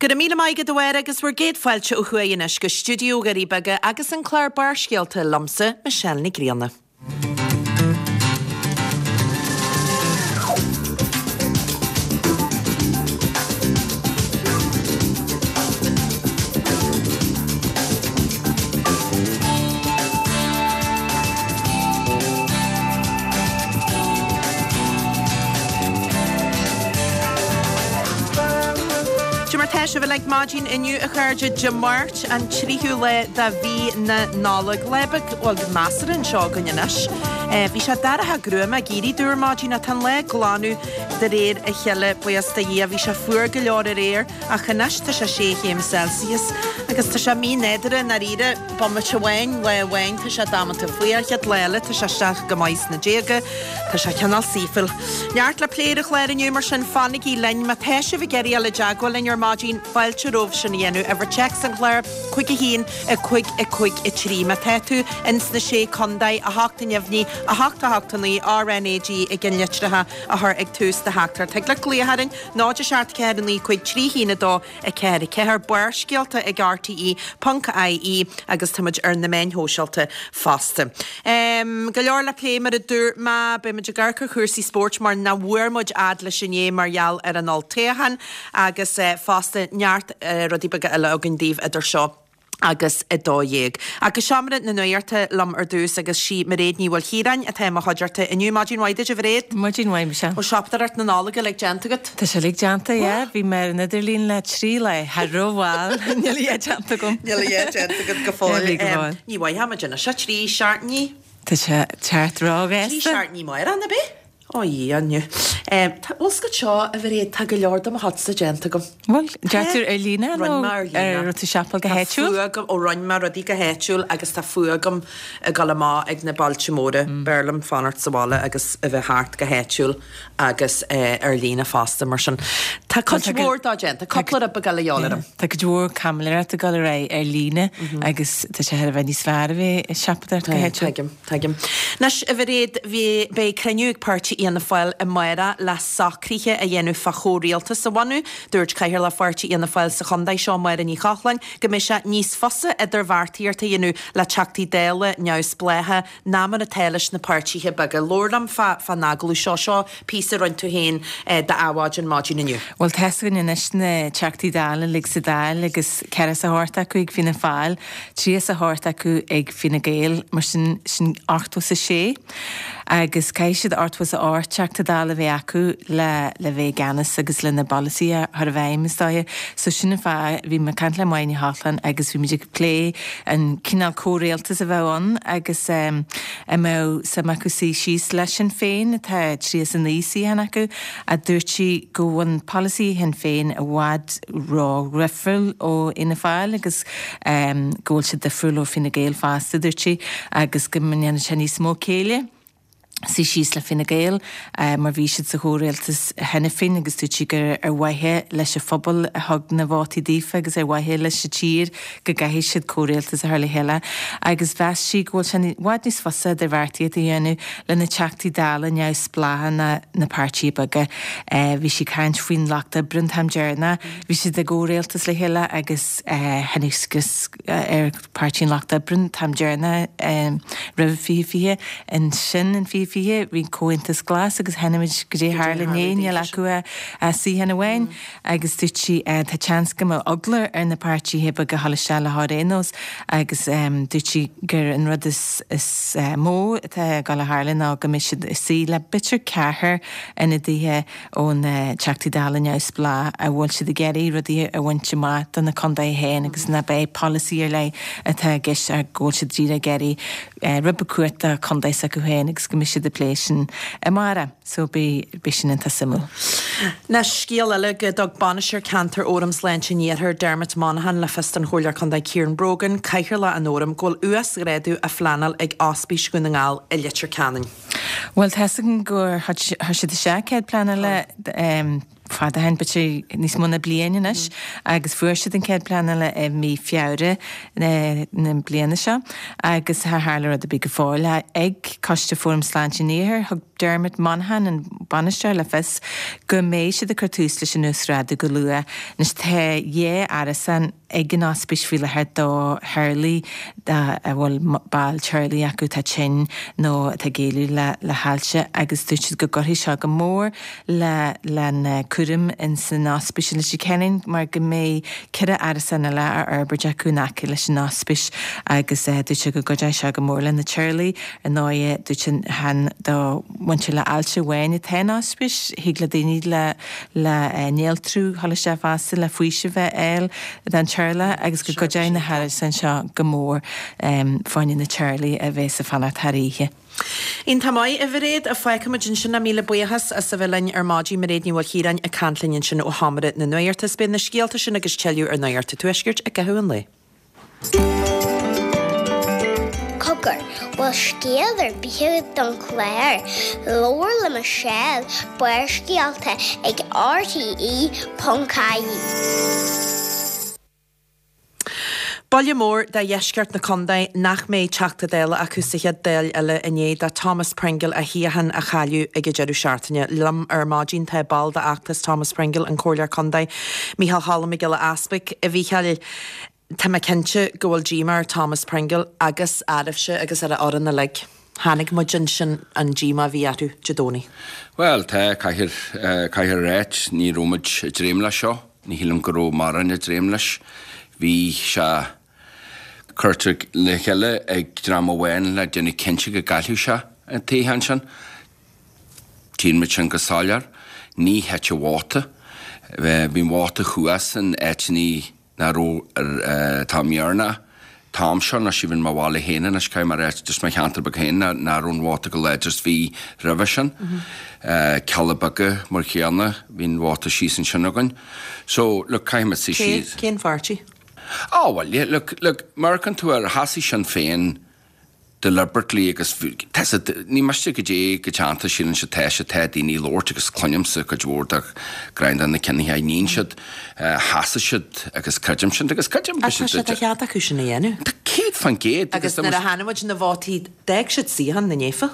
Go raibh míle maith agat a Mháire agus bhur gcéad fáilte ó thuaidh anois go stiúideo Dhoirí Beaga agus an clár Barrscéalta liomsa, Michelle Ní Grianna. Cad é mar tá sibh uilig maidin inniu a chairde, Dé Máirt an tríú lá de mhí na Nollag. Lá beag, bhuel, measartha anseo againn anois. Bhí sé dorcha gruama ag éirí domh ar maidin ach tá an lá ag glanadh de réir a chéile, buíochas do Dhia. Bhí sé fuar go leor aréir ach anois tá sé sé chéim Celsius agus tá sé mí-nádúrtha i ndáiríre. Bomaite amháin, lá amháin tá sé damanta fuar, chéad lá eile tá sé isteach go maith sna déaga. Tá sé cineál saoithiúil. Neart le plé ar an chlár inniu mar sin fanaigí linn. Má tá sibh ag iarraidh dul i dteagmháil linn ar maidin, fáilte romhaibh sin a dhéanamh. Uimhir téacs an chláir, 5 1 5 5 3. Má tá tú ins na Sé Contae, 8 neamhní, 8 8 9, RnaG i gceannlitreacha a chur ag tús do theachtaireacht. Thig leat glaoch orainn, 0 7 4 9 5 3 1 2 4 4, Barrscéalta ag RTÉ ponc ie agus tá muid ar na meáin shóisialta fosta. Go leor le plé mar a dúirt mé, beidh muid ag amharc ar chúrsaí spóirt mar nach bhfuair muid fhad leis inné mar gheall ar an olltoghchán agus fosta neart rudaí beaga eile againn daoibh idir seo agus 12. Ach go seomra na nuachta liom ar dtús agus sí Mairéad Ní Mhaoilchiaráin atá i mo chuideachta inniu. Maidin mhaith duit a Mhairéad. Maidin mhaith Michelle. Bhfuil siopadóireacht na Nollag uilig déanta agat? Tá sé uilig déanta, yeah. Bhí mé ar an idirlíon le 3 lá. Thar rómhall. Níl a dhath déanta agam. Níl a dhath déanta agat go fóill. Níl go fóill. Ní mhaithfeadh muid anois 3 seachtainí. Tá sé thart róghasta. 3 seachtainí amárach, ná bith? Ó Dhia, inniu. Tá, bhfuil 's agat seo, a Mhairéad, tá go leor de mo chuidse déanta agam. Bhfuil? Deir tú ar líne nó Rinne mé ar líne. ar raibh tú ag siopáil go Tá háitiúil? fuath agam, ó rinne mé rudaí go háitiúil agus tá fuath agam ag dul amach ag na bailte móra. B'fhearr liom fanacht sa bhaile agus a bheith thart go háitiúil agus ar líne fosta mar sin. Tá cuid mhór dó déanta, cúpla rud beag eile a dhíobháil orm. Tá cuid mhór caimiléireacht ag dul ar aghaidh ar líne agus tá sé thar a bheith níos fearr a bheith ag siopadóireacht go háitiúil. Tuigim. Tuigim. Anois, a Mhairéad, bhí, beidh cruinniú ag Páirtí Fhianna Fáil amárach le socruithe a dhéanamh fá chomhrialtas a bhunú. Dúirt Cathaoirleach Pháirtí Fhianna Fáil sa chontae seo, Máire Ní Chochláin, go mbeidh sé níos fusa idirbheartaíocht a dhéanamh le Teachtaí Dála neamhspleácha ná mar atá leis na páirtithe beaga. Labhair liom fá, fán agallamh seo. Seo píosa a rinne tú féin d'Adhmhaidin maidin inniu. Bhuel, tá's againn anois na Teachtaí Dála uilig sa Dáil agus ceathracha 's a hocht acu ag Fianna Fáil. 38 acu ag Fine Gael, mar sin, sin 86 agus caithfidh siad 88 Teachta Dála a bheith acu le le bheith i gceannas agus lena bpolasaithe a chur i bhfeidhm, is dóiche. So sin an fáth, bhí mé ag caint le Máire Ní Chochláin agus bhí muid ag plé an cineál comhrialtas a bheadh ann agus an mbeadh suim acu suí síos le Sinn Féin, atá 39 suíochán acu, ach dúirt sí go bhfuil polasaithe Shinn Féin i bhfad ró-dhifriúil ó Fhianna Fáil agus go bhfuil siad difriúil ó Fine Gael fosta, dúirt sí, agus go ndéanann sé níos mó céille suí síos le Fine Gael mar bhí siad sa chomhrialtas cheana féin agus dúirt sí gur ar mhaithe leis an phobal a thug na vótaí daofa agus ar mhaithe leis an tír go gcaithfidh siad comhrialtas a chur le chéile agus mheas sí go bhfuil sé i bhfad níos fusa idirbheartaíocht a dhéanamh le na Teachtaí Dála neamhspleácha ná na páirtithe beaga. Bhí sí ag caint faoin Lucht Oibre an t-am deireanach. Bhí siad i gcomhrialtas le chéile agus tháinig scrios ar Páirtí an Lucht Oibre an t-am deireanach roimh 2020. Ansin in 2020 bhí an Comhaontas Glas agus chonaic muid goidé a tharla inné, níl acu ach suíochán amháin agus dúirt sí tá seans go mbeadh eagla ar na páirtithe beaga a dhul isteach leo ar aon nós agus dúirt sí gur an rud is mó atá ag dul a tharlú ná go mbeidh siad ag suí le b'fhéidir ceathrar ionadaithe ó na Teachtaí Dála neamhspleách a bhfuil siad ag iarraidh rudaí a bhaint amach do na contaetha féin agus nach é polasaí ar leith atá i gceist ach go bhfuil siad díreach ag iarraidh rud beag cumhacht do chontae s'acu féin agus go mbeidh siad ag plé sin amárach. So beidh, beidh sin iontach suimiúil. Anois, scéal eile go dtug Bainisteoir Ceantair Fhóram Sláinte an Iarthair, Dermot Monaghan, le fios don Chomhairleoir Contae Ciaran Brogan, Cathaoirleach an Fhóraim, go bhfuil uasghrádú á phleanáil ag Ospís Dhún na nGall i Leitir Ceanainn. Bhuel, tá's againn gur chuir siad isteach cead pleanála. fada ó shin, b'fhéidir níos mó ná bliain anois, agus fuair siad an cead pleanála i mí Feabhra na bliana seo agus char tharla rud ar bith go fóill. Ag Coiste Fóram Sláinte an Iarthair, thug Dermot Monaghan, an bainisteoir, le fios go mbeidh siad ag cur tús leis an uasghrádú go luath. Anois tá dhá árasán ag an ospís faoi láthair do theaghlaigh a bhfuil ball teaghlaigh acu atá tinn nó atá ag éalú le hailse agus dúirt siad go gcuirfidh seo go mór le lena cúram ins an ospís i Leitir Ceanainn mar go mbeidh 4 árasán eile á fhorbairt acu in aice leis an ospís agus dúirt sé go gcuideoidh seo go mór le na teaghlaigh. Ar ndóighe, dúirt sé chan do mhuintir le ailse amháin atá an ospís, thig le daoine le le néaltrú dhul isteach fosta le faoiseamh a fháil don teaghlach agus go gcuideoidh na hárasáin seo go mór fá choinne na teaghlaigh a bheas ag fanacht thar oíche. Iontach maith, a Mhairéad. Fágfaimid ansin é. Míle buíochas as a bheith linn ar maidin. Mairéad Ní Mhaoilchiaráin ag caint linn ansin ó Sheomra na Nuachta. Is beidh na scéalta sin agus tuilleadh ar Nuacht an Tuaiscirt i gcaitheamh an lae. Cogar, bhfuil scéal ar bith agat don chlár? Labhair le Michelle, Barrscéalta ag RTE.ie. Buille mór do dheisceart na contae nach mbeidh Teachta Dála acu sa chéad Dáil eile i ndiaidh do Thomas Pringle a shuíochán a chailleadh ag an deireadh seachtaine. Liom ar maidin tá ball d'fheachtas Thomas Pringle, an Comhairleoir Contae, Mícheál Cholm Mac Giolla Easpaig. A Mhícheáil, tá mé cinnte go bhfuil díomá ar Thomas Pringle agus oraibhse agus ar a fhoireann uilig. Chonaic muid ansin an díomá a bhí orthu Dé Domhnaigh. Bhuel, tá, caithfear, caithfear a ráit, ní raibh muid ag dréim leis seo. Ní shílim go raibh mórán ag dréim leis. Bhí sé curtha le chéile ag dream amháin le déanamh cinnte go gcaillfeadh sé an toghchán sin. Tchíonn muid sin go soiléir. Ní thit an vóta. Bhí an vóta thuas in áiteanna nach raibh atá mbearna t-am seo anois even mo bhaile féin anois caithfidh mé a ráit just mo cheantar beag féin nach raibh an vóta chomh láidir is bhí roimhe sin. Cealla Beaga mar chéanna bhí an vóta síos ansin againn. So look caithfidh muid suí síos. Cén pháirtí? Á bhuel yeah look look má amharcann tú air sheasaigh Sinn Féin deliberately agus tá siad, ní miste go dté go teannta síleann siad tá siad, tá daoine ag labhairt agus cluinimse cuid mhór de grind na cinntí a níonn siad, sheasaigh siad agus creidim sin agus creidim go Tá sé de chead acu sin a dhéanamh. Tá 100% agus nuair a chonaic muid na vótaí d'fhág siad suíochán na naofa.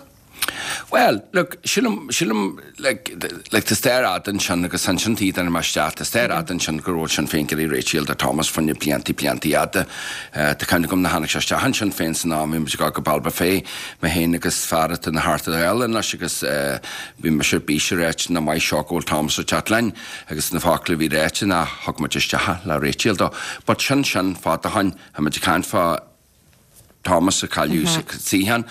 Bhuel, look, sílim, sílim, like, like, tá stair fhada ansin agus ansin taobh den imeacht isteach, tá stair fhada ansin go raibh Sinn Féin ag iarraidh réiteach do Thomas fá choinne bliantaí, bliantaí fhada. Tá cuimhne agam nuair a tháinig sé isteach ansin féin san am, bhí muid ag dul go Ballybofey, mé féin agus fear atá ina Theachta Dála anois agus bhí mise ar bís ag ráit nach maith seo go bhfuil Thomas ag teacht linn agus na focla a bhí ráite ná thug muid isteach le réiteach dó. But sin sin fada ó shoin, tá muid ag caint fá Thomas a cailleadh suíochán.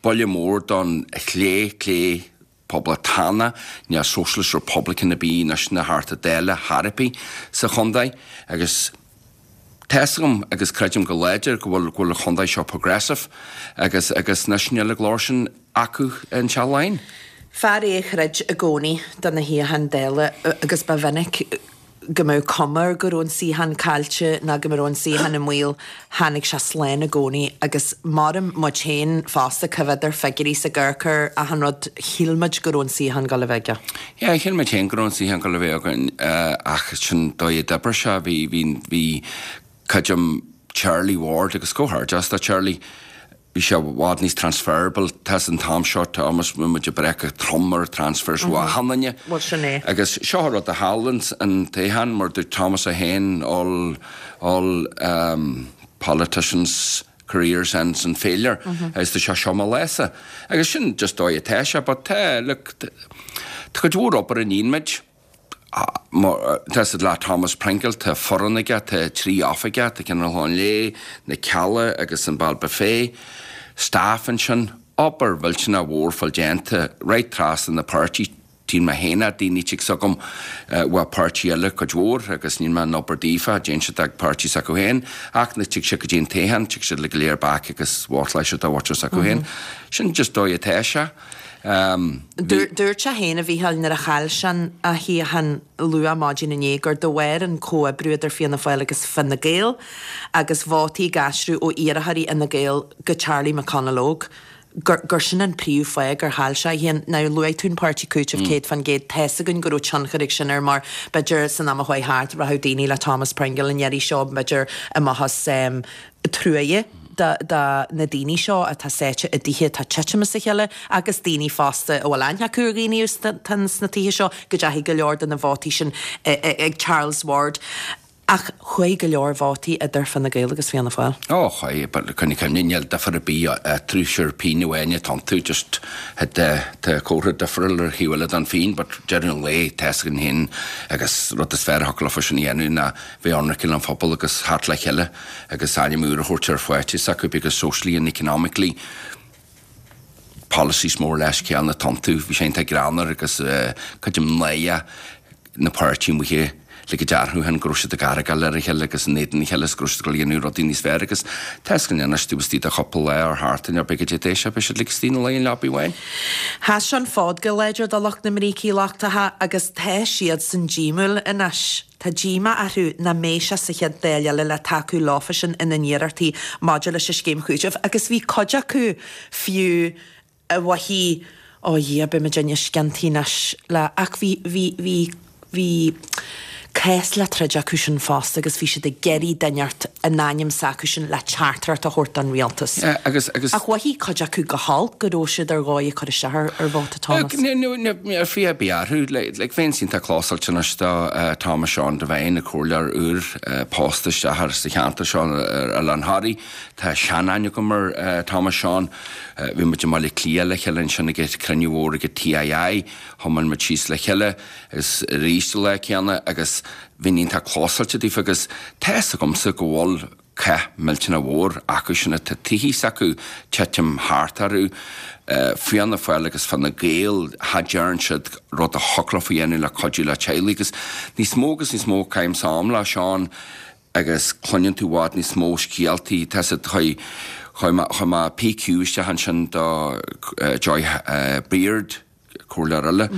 Buille mór don chlé, clé poblachtánach, níl Socialist Republican ar bith anois ina Theachta Dála chor ar bith sa chontae agus tá's agam agus creidim go láidir go bhfuil go bhfuil an chontae seo progressive agus agus anois níl an glór sin acu in Teach Laighean. Fear é a throid i gcónaí do na shuíocháin Dála agus ba mhinic go mbeadh cuma air go raibh an suíochán caillte ná go raibh an suíochán i mbaol, tháinig sé slán i gcónaí agus maram muid féin fosta, cá bhfios ar figiúirí sa gcurchar, achan rud, shíl muid go raibh an suíochán ag dul a bheith aige. Yeah, shíl muid féin go raibh an suíochán ag dul a bheith againn ach sin dóigh a d'oibrigh sé, bhí, bhí, bhí, creidim Charlie Ward agus comhghairdeas do Charlie, bhí sé i bhfad níos transferable, tá an t-am seo, tá almost, bhí muid ag breith go trom ar transfers ó achan duine. Bhuel sin é. Agus seo an rud a chaill an toghchán, mar dúirt Thomas é féin, all, all um, politicians careers ends in failure, agus tá sé seo mo lása. Agus sin just dóigh atá sé, but tá, look, tá cuid mhór obair a níonn muid, Tá siad le Thomas Pringle, tá foireann aige, tá 3 oifig aige, tá ceann ar an Chlochán Léith, na Cealla agus an Ballybofey. Staff ansin, obair mhillteanach mhór fáil déanta right trasna na páirtí, tchíonn mé féin é, daoine tigh s'agam uaidh páirtí eile cuid mhór agus níl mé in obair daofa, déanann siad ag páirtí s'acu féin ach nuair tig siad go dtí an toghchán, tig siad le go léir back agus vótáil siad do mhuintir s'acu féin. Sin just dóigh atá sé. Dúirt sé féin, a Mhícheáil, nuair a chaill sé a shuíochán luath maidin inné gur de bharr an comhoibriú idir Fianna Fáil agus Fine Gael agus vótaí ag aistriú ó iarrthóirí Fhine Gael go Charlie McConalogue. gur, gur sin an príomh fáth gur chaill sé a shuíochán. Now, luaigh tú an páirtí cúitimh 100%, tá's againn go raibh tionchar ag sin air mar b'fhéidir san am a chuaigh thart rachadh daoine le Thomas Pringle an iarraidh seo b'fhéidir amach as truaighe do, do na daoine seo atá sáite i dtithe atá ag titim as a chéile agus daoine fosta a bhfuil aithne acu ar dhaoine atá sna tithe seo go dteachaigh go leor de na vótaí sin ag Charles Ward. Ach chuaigh go leor vótaí idir Fine Gael agus Fianna Fáil. Ó, chuaigh, but coinnigh cuimhne, níl difear ar bith eatarthu, sure pingin amháin atá iontu, just tá comhartha difriúil ar thaobh eile den phingin, but deireadh an lae, tá's againn féin agus rud is fearr a thiocfadh leofa sin a dhéanamh ná bheith ionraic leis an phobal agus theacht le chéile agus ainm úr a thabhairt ar pháirtí s'acu because socially and economically policies more or less céanna atá iontu. Bhí sé iontach greannmhar agus creidim náireach na páirtí amuigh le go dearfadh féin go raibh siad ag argáil ar a chéile agus in éadan a chéile is go raibh siad ag dul a dhéanamh rudaí níos fearr agus tá's againn anois taobh istigh de chúpla lá or thart in beidh goidé sé beidh siad like istigh ina luí i leabaidh amháin. Sheas an fód go láidir do lucht na mbrící lochtacha agus tá siadsan díomúil anois. Tá díomá orthu nach mbeidh sé sa chéad Dáil eile le tacú leofasan ina n-iarrachtaí maidir leis an scéim chúitimh agus bhí cuid acu fiú a mhaígh, Ó a Dhia, beidh muid sciontaithe anois le. Ach bhí, bhí, bhí, bhí cás le troid acu sin fosta agus bhí siad ag iarraidh duine inteacht in ainm s'acu sin le teachtaireacht a thabhairt don rialtas. Yeah, agus, agus. Ach mhothaigh cuid acu go holc go raibh siad ar dhóigh ag cur isteach ar, ar vóta Thomas. Ní, ní, ní, ní fiú a bheith orthu, like, like bheinn iontach clósáilte anois do Thomas Seán Devine, an comhairleoir úr, pósta isteach ar sa cheantar seo ar Oileán Thoraí. Tá sean-aithne agam ar Thomas Seán. Bhí muid i mBaile Átha Cliath le chéile ansin ag cruinniú mhór ag TII. Thiomáin muid síos le chéile agus arís an lá céanna agus bhínn iontach clósáilte daofa agus tá fhios agamsa go bhfuil cath millteanach mhór acu sin atá tithe s'acu titim thart orthu. Fianna Fáil agus Fine Gael, cha dtearn siad rud a thiocfadh leofa a dhéanamh le cuidiú le teaghlaigh agus níos mó agus níos mó caithimse am le Seán agus cluineann tú i bhfad níos mó scéaltaí, tá siad, chuir, chuir mé, chuir mé PQ isteach ansin do Joy Beard, comhairleoir eile,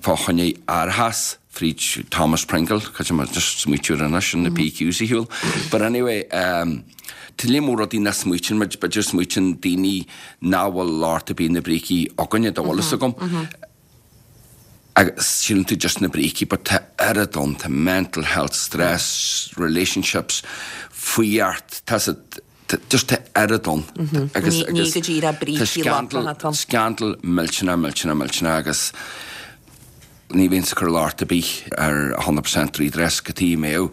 fá choinne árachas fríd Thomas Pringle, cad é mar, just smaoitiú air anois, sin na PQs ar shiúl. But anyway, tá léar mór rudaí nach smaoitíonn muid, b'fhéidir smaoitíonn daoine nach bhfuil locht ar bith na brící againne, dá bhfuil fhios agam. Agus síleann tú just na brící but tá oiread ann, tá mental health, stress, relationships, fuíocht, tá siad, just tá oiread ann. Agus, Ní, ní go díreach tá brící scandal, lochtacha atá ann. scandal millteanach, millteanach, millteanach agus ní bhíonn ag cur locht ar bith ar 100% redress go tí mbeadh.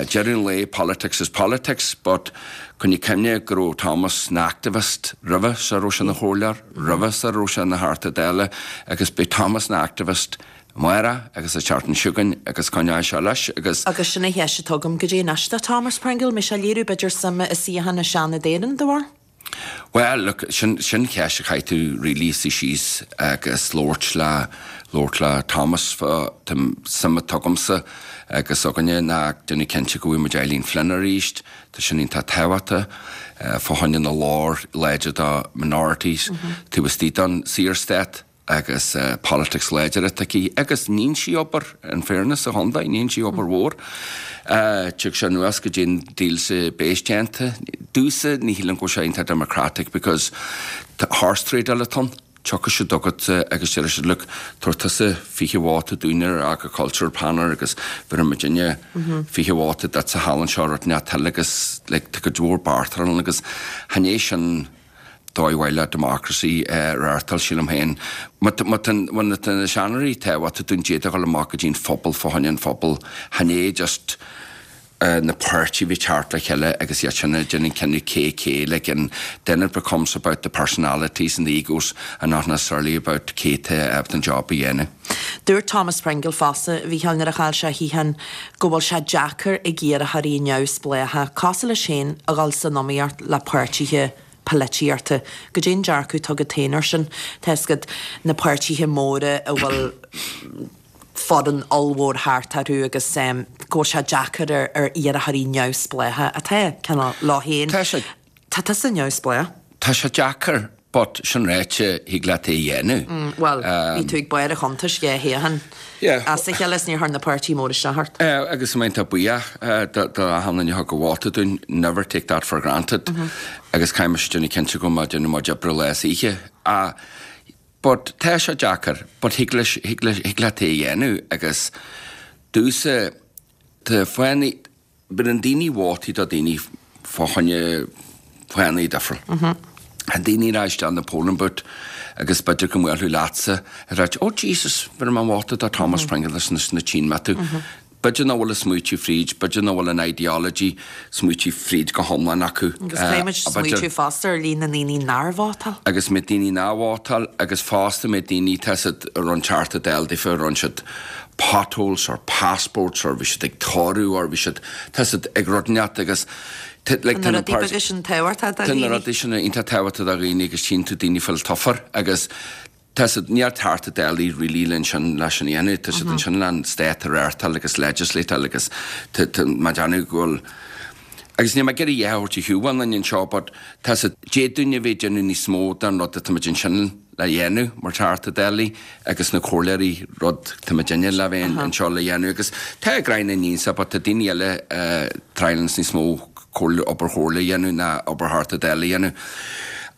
Deireadh an lae, politics is politics but coinnigh cuimhne go raibh Thomas ina activist roimhe sar a raibh sé ina chomhairleoir. roimhe sar a raibh sé ina Theachta Dála agus beidh Thomas ina activist amárach agus an tseachtain seo chugainn agus coinneoidh sé leis agus. Agus sin an cheist atá agam, goidé anois do Thomas Pringle, mbeidh sé ag léiriú b'fhéidir suime i suíochán i Seanad Éireann dá bharr? Bhuel, look, sin, sin ceist a chaithfidh tú really suí síos agus labhairt le, labhairt le Thomas fá, tá suim atá agamsa agus againne ná déanamh cinnte go bhfaighidh muid Eileen Flynn arís, Tá sin iontach tábhachtach fá choinne na lár láidir do minorities taobh istigh den Saorstát agus politics láidir atá aici agus níonn sí obair, in fairness, sa chontae, níonn sí obair mhór. Tig sé anuas go dtí an deal sa béis déanta. Domhsa ní shílim go bhfuil sé iontach democratic because horse trade atá ann. Tiocfaidh siad chugat agus déarfaidh siad, look, tabhair tusa 20 vóta dúinn ar agricultural panel agus bhéarfaidh muidinne 20 vóta duit sa halla anseo rud inteacht eile agus like tá cuid mhór bartáil ann agus chan é sin dóigh mhaith le democracy a reáchtáil sílim féin. Má tá má tá na seanadóirí tábhachtach dúinn d'fhéadfadh a dhul amach go dtí an phobal fá choinne an phobail chan é just na páirtithe bheith teacht le chéile agus iad sin ag déanamh cinneadh cé cé like and then it becomes about the personalities and the egos and not necessarily about cé tá ábalta an job a dhéanamh. Dúirt Thomas Pringle fosta, a Mhícheáil, nuair a chaill sé a shuíochán, go bhfuil sé deacair ag iarrthóirí neamhspleácha, cosúil leis féin, a dhul san iomaíocht le páirtithe polaitíochta. Goidé an dearcadh atá agat féin air sin? Tá fhios agat, na páirtithe móra a bhfuil. foireann ollmhór thart orthu agus go bhfuil sé deacair ar iarrthóirí neamhspleácha atá cineál leo féin. Tá sé. Tá tusa neamhspleách. Tá sé deacair but. But sin ráite, thig leat é a dhéanamh. Bhuel, bhí tú ag barr an chuntais dhá shuíochán as a chéile is níor chuir na páirtithe móra isteach ort. Agus tá mé iontach buíoch do achan duine a thug a vóta dúinn, never take that for granted. Agus caithfidh mise déanamh cinnte go bhfuil mé ag déanamh mo chuid oibre lá is oíche. But tá sé deacair, but thig leis, thig leis, thig leat é a dhéanamh agus domhsa, tá fáthanna, bíonn daoine vótaí do daoine fá choinne fáthanna difriúil. Tá daoine ag rá isteach in the polling booth agus b'fhéidir go mbuailfeadh leatsa ag ráit, oh Jesus, bheir mé vóta do Thomas Pringle leis na tchíonn mé tú. B'fhéidir nach bhfuil a smaoitiú fríd, b'fhéidir nach bhfuil an ideology smaoitiú fríd go hiomlán acu. Agus caithfimid smaoitiú fosta ar líon na ndaoine nár vótáil. Agus méid daoine nár vótáil agus fosta méid daoine, tá siad a raibh an Teachta Dála daofa, a raibh siad potholes or passports or bhí siad ag tórramh or bhí siad, tá siad ag rud inteacht agus like tá na rudaí beaga sin tábhachtach do dhaoine. Tá na rudaí sin iontach tábhachtach do dhaoine agus tchíonn tú daoine fuil tofa agus tá siad, níl Teachta Dála really le ansin leis sin a dhéanamh, tá siad ansin le an stát a reáchtáil agus legislateáil agus tá, tá, má déanamh go bhfuil, agus níl mé ag iarraidh a dhath a thabhairt ar shiúl aon duine anseo but tá siad, d'fhéadfadh duine a bheith ag déanamh níos mó den rud atá muid ansin le dhéanamh mar Theachta Dála agus na comhairleoirí rud tá muidinne le bheith anseo le dhéanamh agus tá Gráinne ní but tá daoine eile a triallanns níos mó comhairle obair chomhairle a dhéanamh ná obair Theachta Dála a dhéanamh.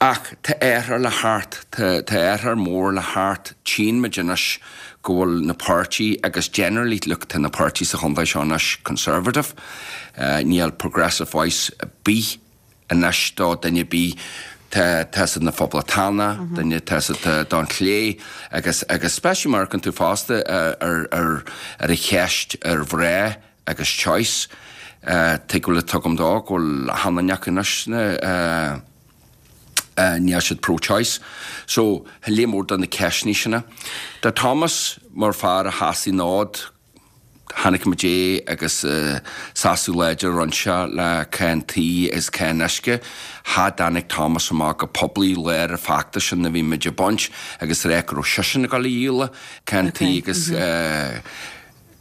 Ach tá athrú le theacht, tá tá athrú mór le theacht, tchíonn muid anois go bhfuil na páirtí agus generally look tá na páirtí sa chontae seo anois conservative, níl progressive voice ar bith anois do duine ar bith tá tá siad na Phoblachtánach, duine tá siad don chlé agus agus especially mar amharcann tú fosta ar ar ar an cheist ar mhná agus choice tuig go bhfuil tuigim dó go bhfuil achan duine acu anois na níl siad pro-choice. So tá léar mór de na ceisteanna sin. Tá Thomas mar fear a sheasaigh an fód Chonaic muid é agus seasamh láidir a rinne sé le cáin tí is cáin uisce. Cha dtáinig Thomas amach go poiblí lár an feachtais sin a bhí muid ag baint agus rá go raibh seisean ag dul a dhíol cáin tí agus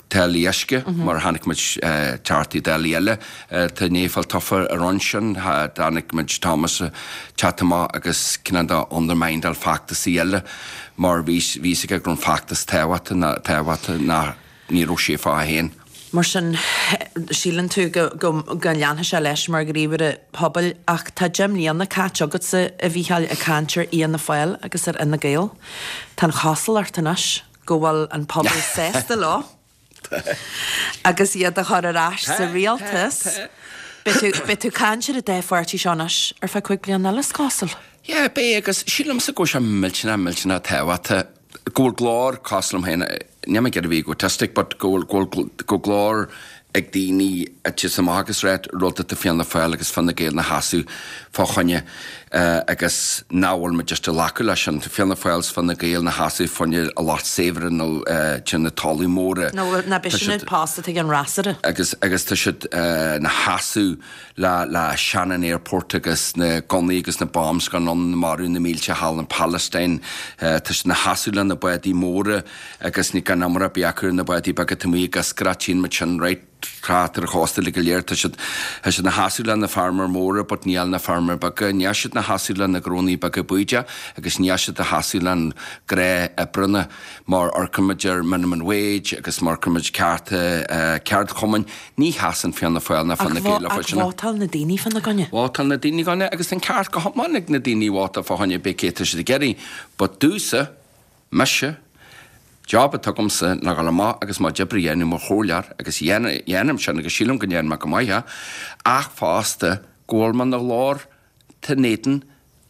táillí uisce mar a chonaic muid Teachtaí Dála eile atá i ndiaidh fáil tofa a rinne sin. Cha dtáinig muid Thomas teacht amach agus cineál de undermined-áil feachtasaí eile mar bhí fhios aige go raibh an feachtas tábhachtach ná ní raibh sé fá féin. Mar sin, síleann tú go go leanfaidh sé leis mar ghníomhaire pobail ach tá 10 mbliana caite agatsa, a Mhícheáil, ag caint ar Fhianna Fáil agus ar Fhine Gael. Tá an chosúlacht anois go bhfuil an pobal sásta leo. Agus iad a chur ar ais sa rialtas. Beidh tú ag caint ar an dá pháirtí seo anois ar feadh 5 bliana eile, is cosúil. Yeah, beidh, agus sílimse go bhfuil sé millteanach, millteanach tábhachtach go bhfuil glór cosúil liom féin, níl mé ag iarraidh a bheith egotistic, but go bhfuil, go bhfuil, go bhfuil glór ag daoine a tchíos amach agus rá rud atá Fianna Fáil agus Fine Gael na sheasamh fá choinne agus nach bhfuil muid just ag glacadh leis sin. Tá Fianna Fáil 's Fine Gael na sheasamh fá choinne a lucht saibhre nó de na talamh móra. Nó na b'shin post atá ag an fhreasúra. Agus agus tá siad na sheasamh le le Shannon Airport agus na gunnaí agus na bombs gan ann marú na mílte thall in Palestine. Tá siad na sheasamh le na bádaí móra. Agus ní gan iomrá ar bith acu ar na bádaí beaga taobh amuigh ag iascaireacht, tchíonn muid sin right thart ar an chósta uilig go léir. Tá siad, tá siad 'na sheasamh le na feirmeoir móra but níl na feirmeoir beaga, níl siad 'na sheasamh le na gnónnaí beaga bídeach agus níl siad a sheasamh le an gnáthoibreanna mar amharcann muid ar minimum wage agus mar amharcann muid cearta ceardchumainn, ní sheasann Fianna Fáil ná Fine Gael leo sin. Ach vótáil na daoine fá gcoinne. Vótáil na daoine fá gcoinne agus tá an ceart go hiomlán ag na daoine vótáil fá choinne pé cé tá siad ag iarraidh but domhsa, Mise, job atá agamsa ná dhul amach agus mo chuid oibre a dhéanamh mar chomhairleoir agus dhéanaim sin agus sílim go ndéanaim mé go maith é, ach fosta go bhfuil mé ina ghlór in éadan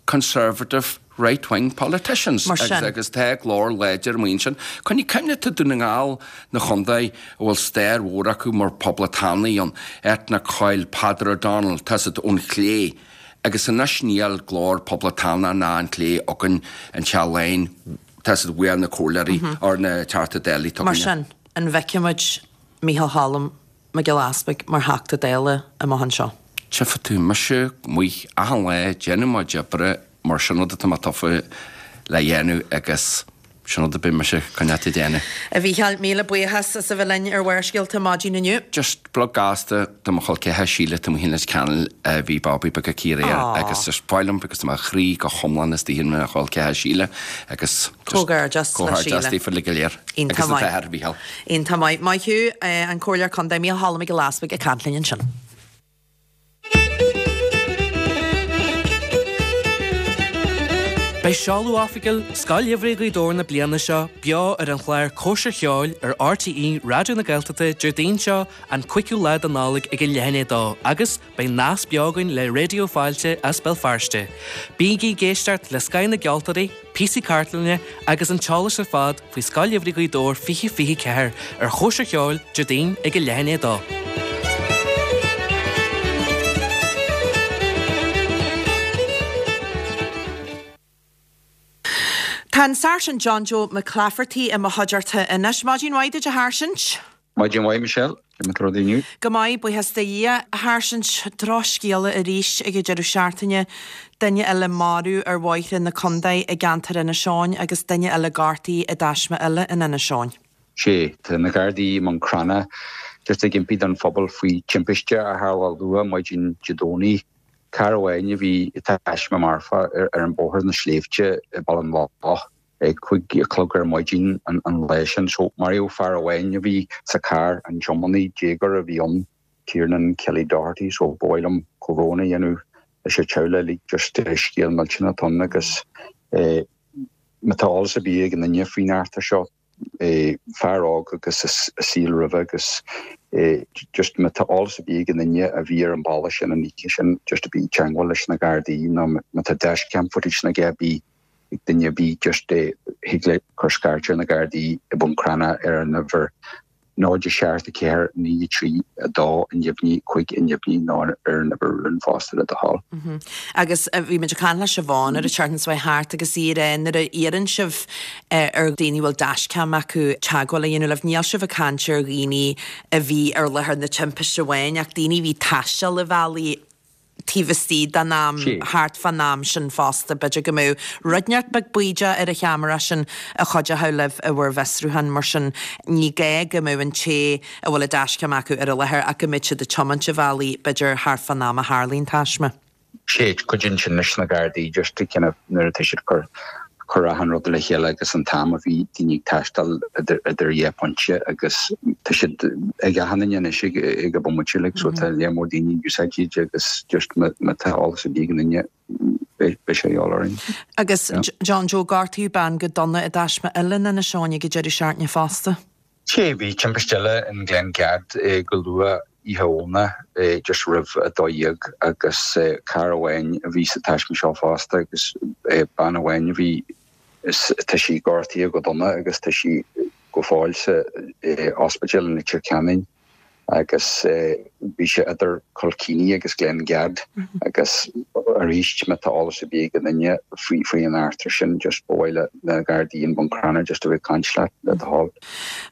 conservative right wing politicians Mar sin. agus tá glór láidir amuigh ansin. Coinnigh cuimhne tá Dún na nGall na chontae a bhfuil stair mhór acu mar poblachtánaigh ann, Etna Coyle, Peadar O'Donnell, tá siad ón chlé. Agus anois níl glór poblachtánach ná an clé againn an Teach Laighean, tá siad uaidh na comhairleoirí or na Teachta Dála atá Mar sin, an bhfeicfidh muid Mícheál Cholm Mac Giolla Easpaig mar Theachta Dála amach anseo? Tchífidh tú mise amuigh achan lá ag déanamh mo chuid oibre mar sin rud atá mé tofa le dhéanamh agus. Sin rud a beidh mise chun leat a dhéanamh. A Mhícheáil, míle buíochas as a bheith linn ar Bharrscéalta maidin inniu. Just blog gasta do mo chol ceathar Síle tá mo Litir Ceanainn a bhí babaí beag aici aréir agus just ba mhaith liom agus tá mo chroí go hiomlán istigh ina chol ceathar Síle agus just Comhghairdeas le comhghairdeas Síle. daofa uilig go léir Iontach agus an maith. t-athair Mhícheál. Iontach maith. Maith thú, an Comhairleoir Contae Mícheál Choilm Mac Giolla Easbuig ag caint linn ansin. Beidh seoladh oifigiúil Scoil Gheimhridh Ghaoth Dobhair na bliana seo beo ar an chlár Cóisir Cheoil ar RTÉ Raidió na Gaeltachta Déardaoin seo an 5ú lá de Nollaig ag a leath i ndiaidh a dó agus beidh nasc beo againn le Raidió Fáilte as Béal Feirste. Bígí ag éisteacht le scoth na gceoltóirí, píosaí cartlainne agus an t-eolas ar fad faoi Scoil Gheimhridh Ghaoth Dobhair 2024 ar Chóisir Cheoil, Déardaoin ag a leath i ndiaidh a dó. Tá an Sáirsint John Joe McClafferty i mo chuideachta anois. Maidin mhaith duit a Sháirsint. Maidin mhaith Michelle, cén mar atá rudaí inniu? Go maith, buíochas do Dhia. A Sháirsint, drochscéala arís ag an deireadh seachtaine, duine eile marbh ar bhóithre na contae i gceantar Inis Eoghain agus duine eile gortaithe i dtaisme eile in Inis Eoghain. Sea, tá na Gardaí i mBun Cranncha just ag impí don phobal faoi timpiste a tharla luath maidin Dé Domhnaigh. Carr amháin a bhí i dtaisme marfach ar an bóthar na sléibhte i Baile na Loch. ag 5 a chlog ar maidin an lae sin. So, maraíodh fear amháin a bhí sa charr, an tiománaí, déagóir a bhí ann, Tiernan Kelly Doherty. So, ba mhaith liom comhbhrón a dhéanamh leis an teaghlach uilig, just scéal millteanach atá ann agus má tá eolas ar bith ag aon duine faoin eachtra seo, fear óg agus a saol roimhe agus just má tá eolas ar bith ag aon duine a bhí ar an bhealach sin an oíche sin, just a bheith i dteangmháil leis na Gardaí nó má tá dashcam footage nó a dhath ar bith ag duine ar bith just thig le cur scairt ar na Gardaí i mBun Cranncha ar an uimhir 0 7 4 9 3 2 neamhní 5 neamhní nó ar an uimhir rúin fosta le do thoil. Agus bhí muid ag caint le Siobhán ar an tseachtain seo thart agus í ag rá nuair a iarrann sibh ar dhaoine a bhfuil dashcam acu teagmháil a dhéanamh libh, níl sibh ag caint ar dhaoine a bhí ar láthair na timpiste amháin ach daoine a bhí ag taisteal an bhealaigh taobh istigh den am, thart fán am sin fosta. B'fhéidir go mbeadh rud inteacht beag baoideach ar an cheamara sin a chuideochadh libh i bhur bhfiosrúchán. Mar sin, ní gá go mbeadh an té a bhfuil an dashcam acu ar an láthair ach go mbeadh siad ag tiomáint an bhealaigh, b'fhéidir, thart fán am a tharlaíonn taisme. Sea, cuidíonn sin leis na Gardaí just to kind of nuair atá siad ag cur cur achan rud le chéile agus an t-am a bhí daoine ag taisteal idir idir dhá phointe agus tá siad ag achan duine anois ag ag an bomaite like so tá lear mór daoine ag úsáid iad agus just má má tá eolas ar bith ag aon duine beidh beidh sé a dhíobháil orainn. Agus John Joe, gortaíodh bean go dona i dtaisme eile in Inis Eoghain ag an deireadh seachtaine fosta. Sea, bhí timpiste eile in Glengad go luath oíche Dhomhnaigh, just roimh 12 agus carr amháin a bhí sa taisme seo fosta agus bean amháin a bhí, tá sí gortaithe go dona agus tá sí go fóill sa ospidéal i Leitir Ceanainn. agus bhí sé idir Kilkenny agus Glengad agus arís má tá eolas ar bith ag aon duine faoi faoi an eachtra sin just ba mhaith le na Gardaí in Bun Cranncha just a bheith ag caint leat le do thoil.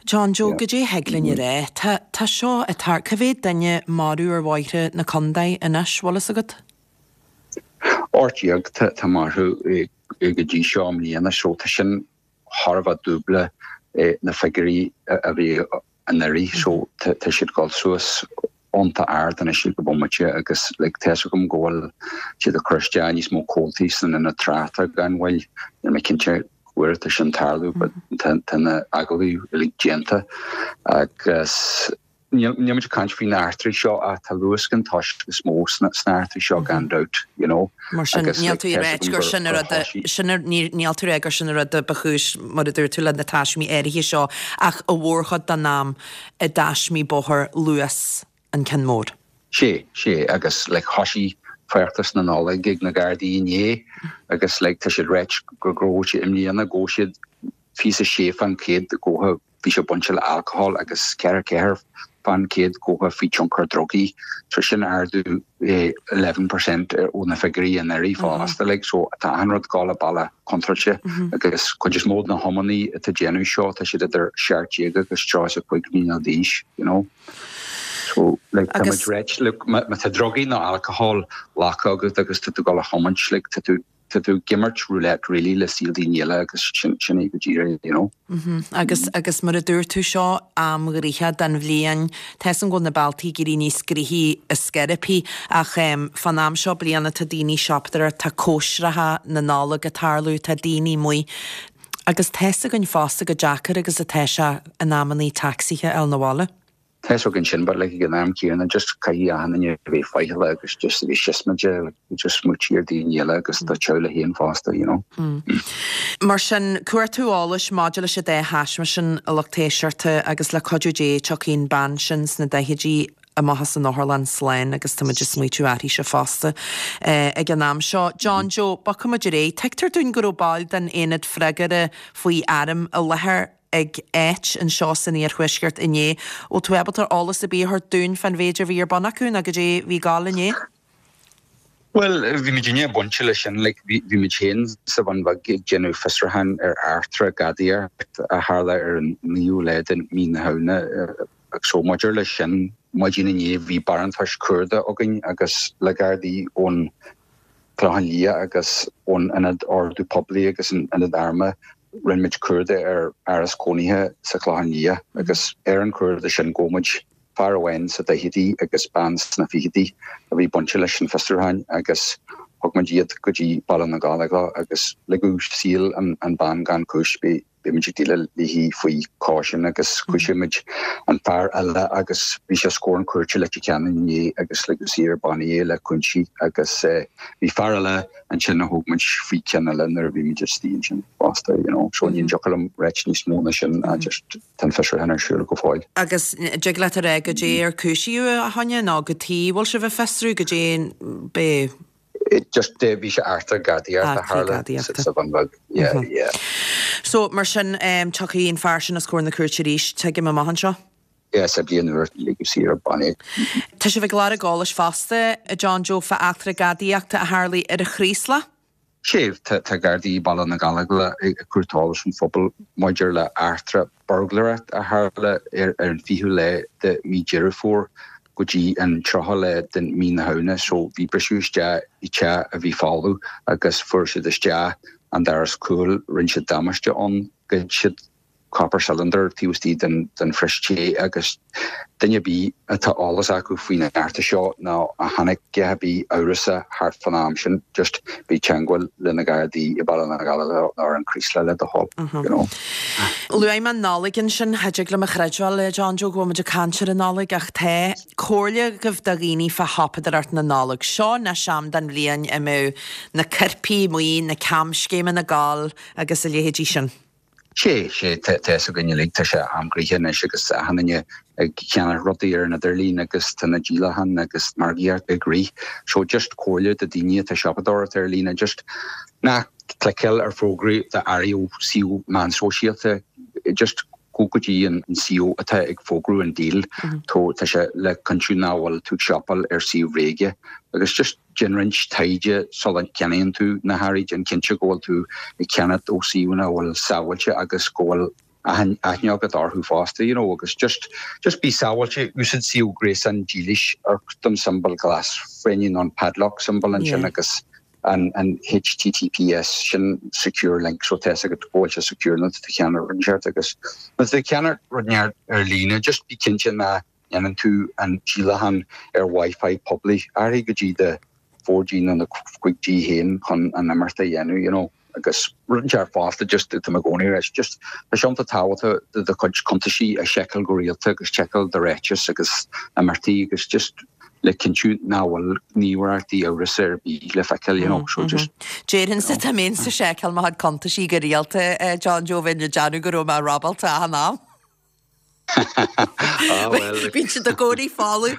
John Joe, goidé thig linn a rá? Tá tá seo ag tar cá mhéad duine marbh ar bhóithre na contae anois, bhfuil fhios agat? 18 tá tá marbh go dtí seo i mbliana so tá sin thar a bheith dúbla na figiúirí a bhí anuraidh so tá siad ag dul suas iontach ard anois ag an bomaite agus like tá fhios agam go bhfuil siad ag cur isteach níos mó comhaltaí san ionad tráchta gan mhoill, níl mé cinnte cá huair atá sin ag tarlú but tá na agallaimh uilig déanta agus Níl muid ag caint faoi na heachtraí seo ach tá luascán toisc is mó sna heachtraí seo gan dabht, you know. Mar sin, níl tú ag ráit gur sin an rud a, sin a, níl tú ag rá gur sin an rud a ba chúis, mar a dúirt tú, le na taismí áirithe seo ach a mhórchuid den am i dtaismí bóthair luas an ceann mór. Sea, sea, agus like thoisigh feachtas na Nollag ag na Gardaí inné agus like tá siad ag ráit go raibh siad i mbliana go raibh siad 26 fán chéad go bhí sé bainte le alcohol agus 44 fán chéad go faoi tionchar drugaí. So sin ardú 11% ó na figiúirí anuraidh fosta like so tá achan rud ag dul an bealach contráilte agus cuid is mó de na hiománaí atá ag déanamh seo tá siad idir 17 agus 35 mbliana d'aois you know. So like tá muid ag ráit look má tá drugaí nó alcohol glactha agat agus tá tú ag dul a thiomáint like tá tú. tá tú ag imirt roulette really le saol daoine eile agus sin sin é go díreach you know. Agus agus mar a dúirt tú seo am gnoitheach den bhliain, tá 'fhios a'm go bhfuil na bealtaí ag éirí níos gnoithí ar scor ar bith ach fán am seo bliana tá daoine ag siopadóireacht, tá cóisreacha na Nollag ag tarlú, tá daoine amuigh agus tá 'fhios againn fosta chomh deacair agus atá sé in amannaí tacsaithe a fháil 'na bhaile. Tá 'fhios againn sin but like ag an am céanna just caithfidh achan duine a bheith faichilleach agus just a bheith siosmaideach like just smaoitiú ar daoine eile agus do theaghlach féin fosta you know. Mar sin, cuartú eolais maidir leis an dá thaisme sin, a lucht éisteachta, agus le cuidiú Dé tiocfaidh an bean sin sna daichidí amach as an otharlann slán agus tá muid ag smaoitiú uirthise fosta ag an am seo. John Joe, bogfaidh muid ar aghaidh. Tuigtear dúinn go raibh baill den Aonad Freagartha faoi Airm i láthair ag áit anseo san iarthuaisceart inné. Bhfuil tú ábalta eolas ar bith a thabhairt dúinn fán mhéid a bhí ar bun acu nó goidé a bhí ag gabháil inné? Bhuel, bhí muidinne bainte leis sin, like, bhí, bhí muid féin sa Bhun Bheag ag déanamh fiosrúcháin ar eachtra gadaíocht a tharla ar an naoú lá de mhí na Shamhna. So maidir leis sin, maidin inné bhí barántais cuarda againn agus le Gardaí ón Chlochán Liath agus ón Ionad Ordú Poiblí agus an Ionad Armtha, rinne muid cuardach ar áras cónaithe sa Chlochán Liath agus ar an chuardach sin ghabh muid fear amháin sa daichidí agus bean sna fichidí a bhí bainte leis an fiosrúchán agus thug muid iad go dtí Baile na nGallóglach agus ligeadh saor an bean gan cúis. Bhí muid ag déileáil léi faoi caution agus chúisigh muid an fear eile agus bhí sé os comhair an chúirte i Leitir Ceanainn inné agus ligeadh saor ar bannaí é le cúinsí agus bhí fear eile ansin a thóg muid faoi cheann eile nuair a bhí muid istigh ansin fosta, you know. So ní dtiocfadh liom ráit níos mó ná sin just tá an fiosrúchán ar siúl go fóill. Agus dtig leat a rá goidé ar cúisíodh a choinne nó cad chuige a bhfuil sibh ag fiosrú goidé b'é Just bhí sé eachtra gadaíocht a tharla sa Bhun Bheag. Yeah, yeah. So, mar sin, tiocfaidh an fear sin os comhair na cúirte arís, tuigim, amach anseo? Yeah, sa bhliain úr, ligeadh saor ar bannaí. Tá sibh ag lorg eolais fosta, a John Joe, fá eachtra gadaíochta a tharlaigh ar an Chraoslach? Sea, tá Gardaí Baile na Gallóglach ag cuartú eolais ón phobal maidir le eachtra burglaireacht a tharla ar an 20ú lá de mí Deireadh Fómhair go dtí an 30ú lá den mí na Shamhna. So bhí briseadh isteach i teach a bhí folamh agus fuair siad isteach an doras cúil, rinne siad damáiste ann, ghoid siad copper cylinder taobh istigh den phrios tae agus duine ar bith atá eolas acu faoin eachtra seo nó a chonaic a dhath ar bith amhrasach thart fán am sin, just bí teangmháil le na Gardaí i Baile na Gallóglach nó ar an Chraoslach le do thoil, you know. Luaigh mé an Nollaig ansin, cha dtig liom a chreidbheáil, a John Joe, go bhfuil muid ag caint ar an Nollaig ach tá comhairle agaibh do dhaoine fá shiopadóireacht na Nollag. Seo anois am den bhliain a mbeadh na coirpigh amuigh, na camscéimeanna ag gabháil agus a leithéidí sin. Sé, sé, tá fhios againn uilig, tá sé am gnoitheach anois agus achan duine ag ceannach rudaí ar an idirlíon agus tá na díolacháin agus margaíocht ag rith. So just comhairle do daoine atá siopadóireacht ar líne, just ná cliceáil ar fógraí d'earraí ó suíomh meán sóisialta, just go go dtí an suíomh atá ag fógrú an deal. Tá sé le cinntiú nach bhfuil tú ag siopail ar suíomh bhréige agus just Déan roinnt taighde sula gceannaíonn tú na hearraí, déan cinnte go bhfuil tú ag ceannacht ó suíomhanna a bhfuil sábháilte agus go bhfuil aithne agat orthu fosta, you know, agus just, just bí sábháilte, úsáid suíomh gréasáin dílis, amharc don tsiombail glas fáinne nó an padlock symbol ansin agus an, an HTTPS, sin secure link, so tá fhios agat go bhfuil sé secure nuair atá tú ag ceannacht rud inteacht agus nuair atá tú ag ceannacht rud inteacht ar líne, just bí cinnte nach ndéanann tú an díolachán ar Wi-Fi poiblí, athraigh go dtí do 4G nó do 5G féin chun an imeacht a dhéanamh, you know. Agus rud inteacht fosta, just tá mé i gcónaí ag rá, just tá sé iontach tábhachtach do do chuid cuntaisí a sheiceáil go rialta agus seiceáil do ráiteas agus imeachtaí agus just le cinntiú nach bhfuil gníomhaireachtaí amhrasa ar bith le feiceáil, you know, so just. Déarfainnse dá mbeinnse ag seiceáil mo chuid cuntaisí go rialta, John Joe, bheinn ag déanamh go raibh mé robáilte achan am. Ah, well. Bíonn siad i gcónaí folamh.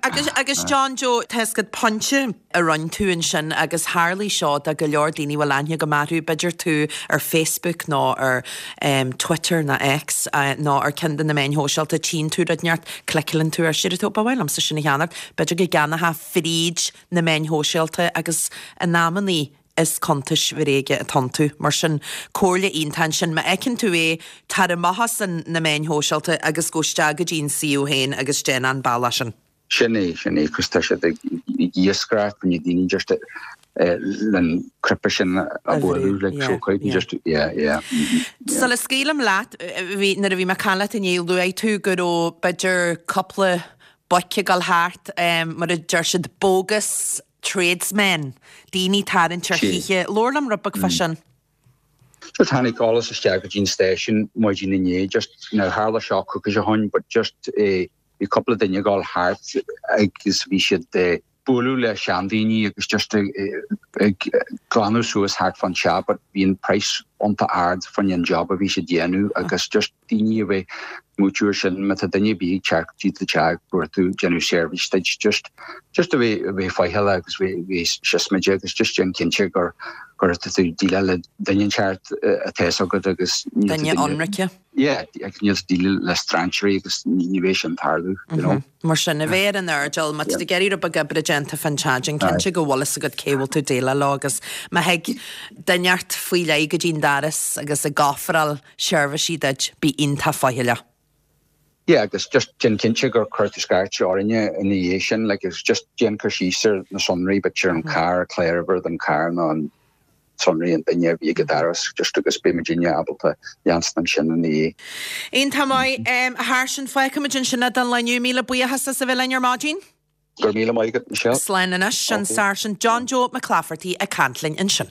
Agus, agus John Joe, tá fhios agat pointe a rinne tú ansin agus tharlaigh seo do go leor daoine a bhfuil aithne agam orthu, b'fhéidir tú ar Facebook nó ar Twitter nó X nó ar ceann de na meáin shóisialta, tchíonn tú rud inteacht, cliceálann tú air, deir tú, ba mhaith liomsa sin a cheannacht, b'fhéidir go gceannófá fríd na meáin shóisialta agus in amannaí is cuntais bhréige atá iontu. Mar sin, comhairle iontach ansin, má fheiceann tú é, tar amach as na meáin shóisialta agus gabh isteach go dtí an suíomh féin agus déan an bealach sin. Sin é, sin é, 'cause tá siad ag iascaireacht, na daoine just. len cnaipe sin a bhualadh like so cuid just yeah yeah Sula scaoilim leat bhí nuair a bhí mé ag caint leat inné luaigh tú go raibh b'fhéidir cúpla boic ag dul thart mar a deir siad bogus tradesmen daoine ag tarraingt ar thithe. Labhair liom rud beag fá sin. Just tháinig eolas isteach go dtí an stáisiún maidin inné just now tharla seo coicís ó shoin but just eh bhí cúpla duine ag dul thart agus bhí siad eh bualadh le seandaoine agus just ag glanadh suas thart fán teach but bhí an price iontach ard fán an job a bhí siad dhéanamh agus just daoine a bheith smaoitiú ar sin má tá duine ar bith ag teacht go dtí do teach ag cuartú déanamh seirbhís duit just just a bheith a bheith faichilleach agus bheith bheith siosmaideach agus just déan cinnte gur gur tá tú déileáil le duine ceart atá fhios agat agus Duine ionraice. Yeah, agus níl tú déileáil le strainséirí agus ní bheidh sin tarlú, you know. Mar sin, a bheith ar an airdeall, má tá tú ag iarraidh rud beag oibre déanta fán teach, déan cinnte go bhfuil fhios agat cé bhfuil tú ag déileáil leo agus má thig duine inteacht faoi leith go dtí'n doras agus ag ofráil seirbhísí duit, bí iontach faichilleach. Yeah, agus just déan cinnte gur chuir tú scairt orainne ina dhiaidh sin, like, agus just déan cur síos ar na sonraí, b'fhéidir an carr, cláruimhir den charr nó an sonraí an duine a bhí ag an doras just agus beidh muidinne ábalta leanstan ansin ina dhiaidh. Iontach maith, a Sháirsint. Fágfaimid ansin é don lá inniu. Míle buíochas as a bheith linn ar maidin. Go raibh míle maith agat, Michelle. Slán anois. An Sáirsint John Joe Mac Laifeartaigh ag caint linn ansin.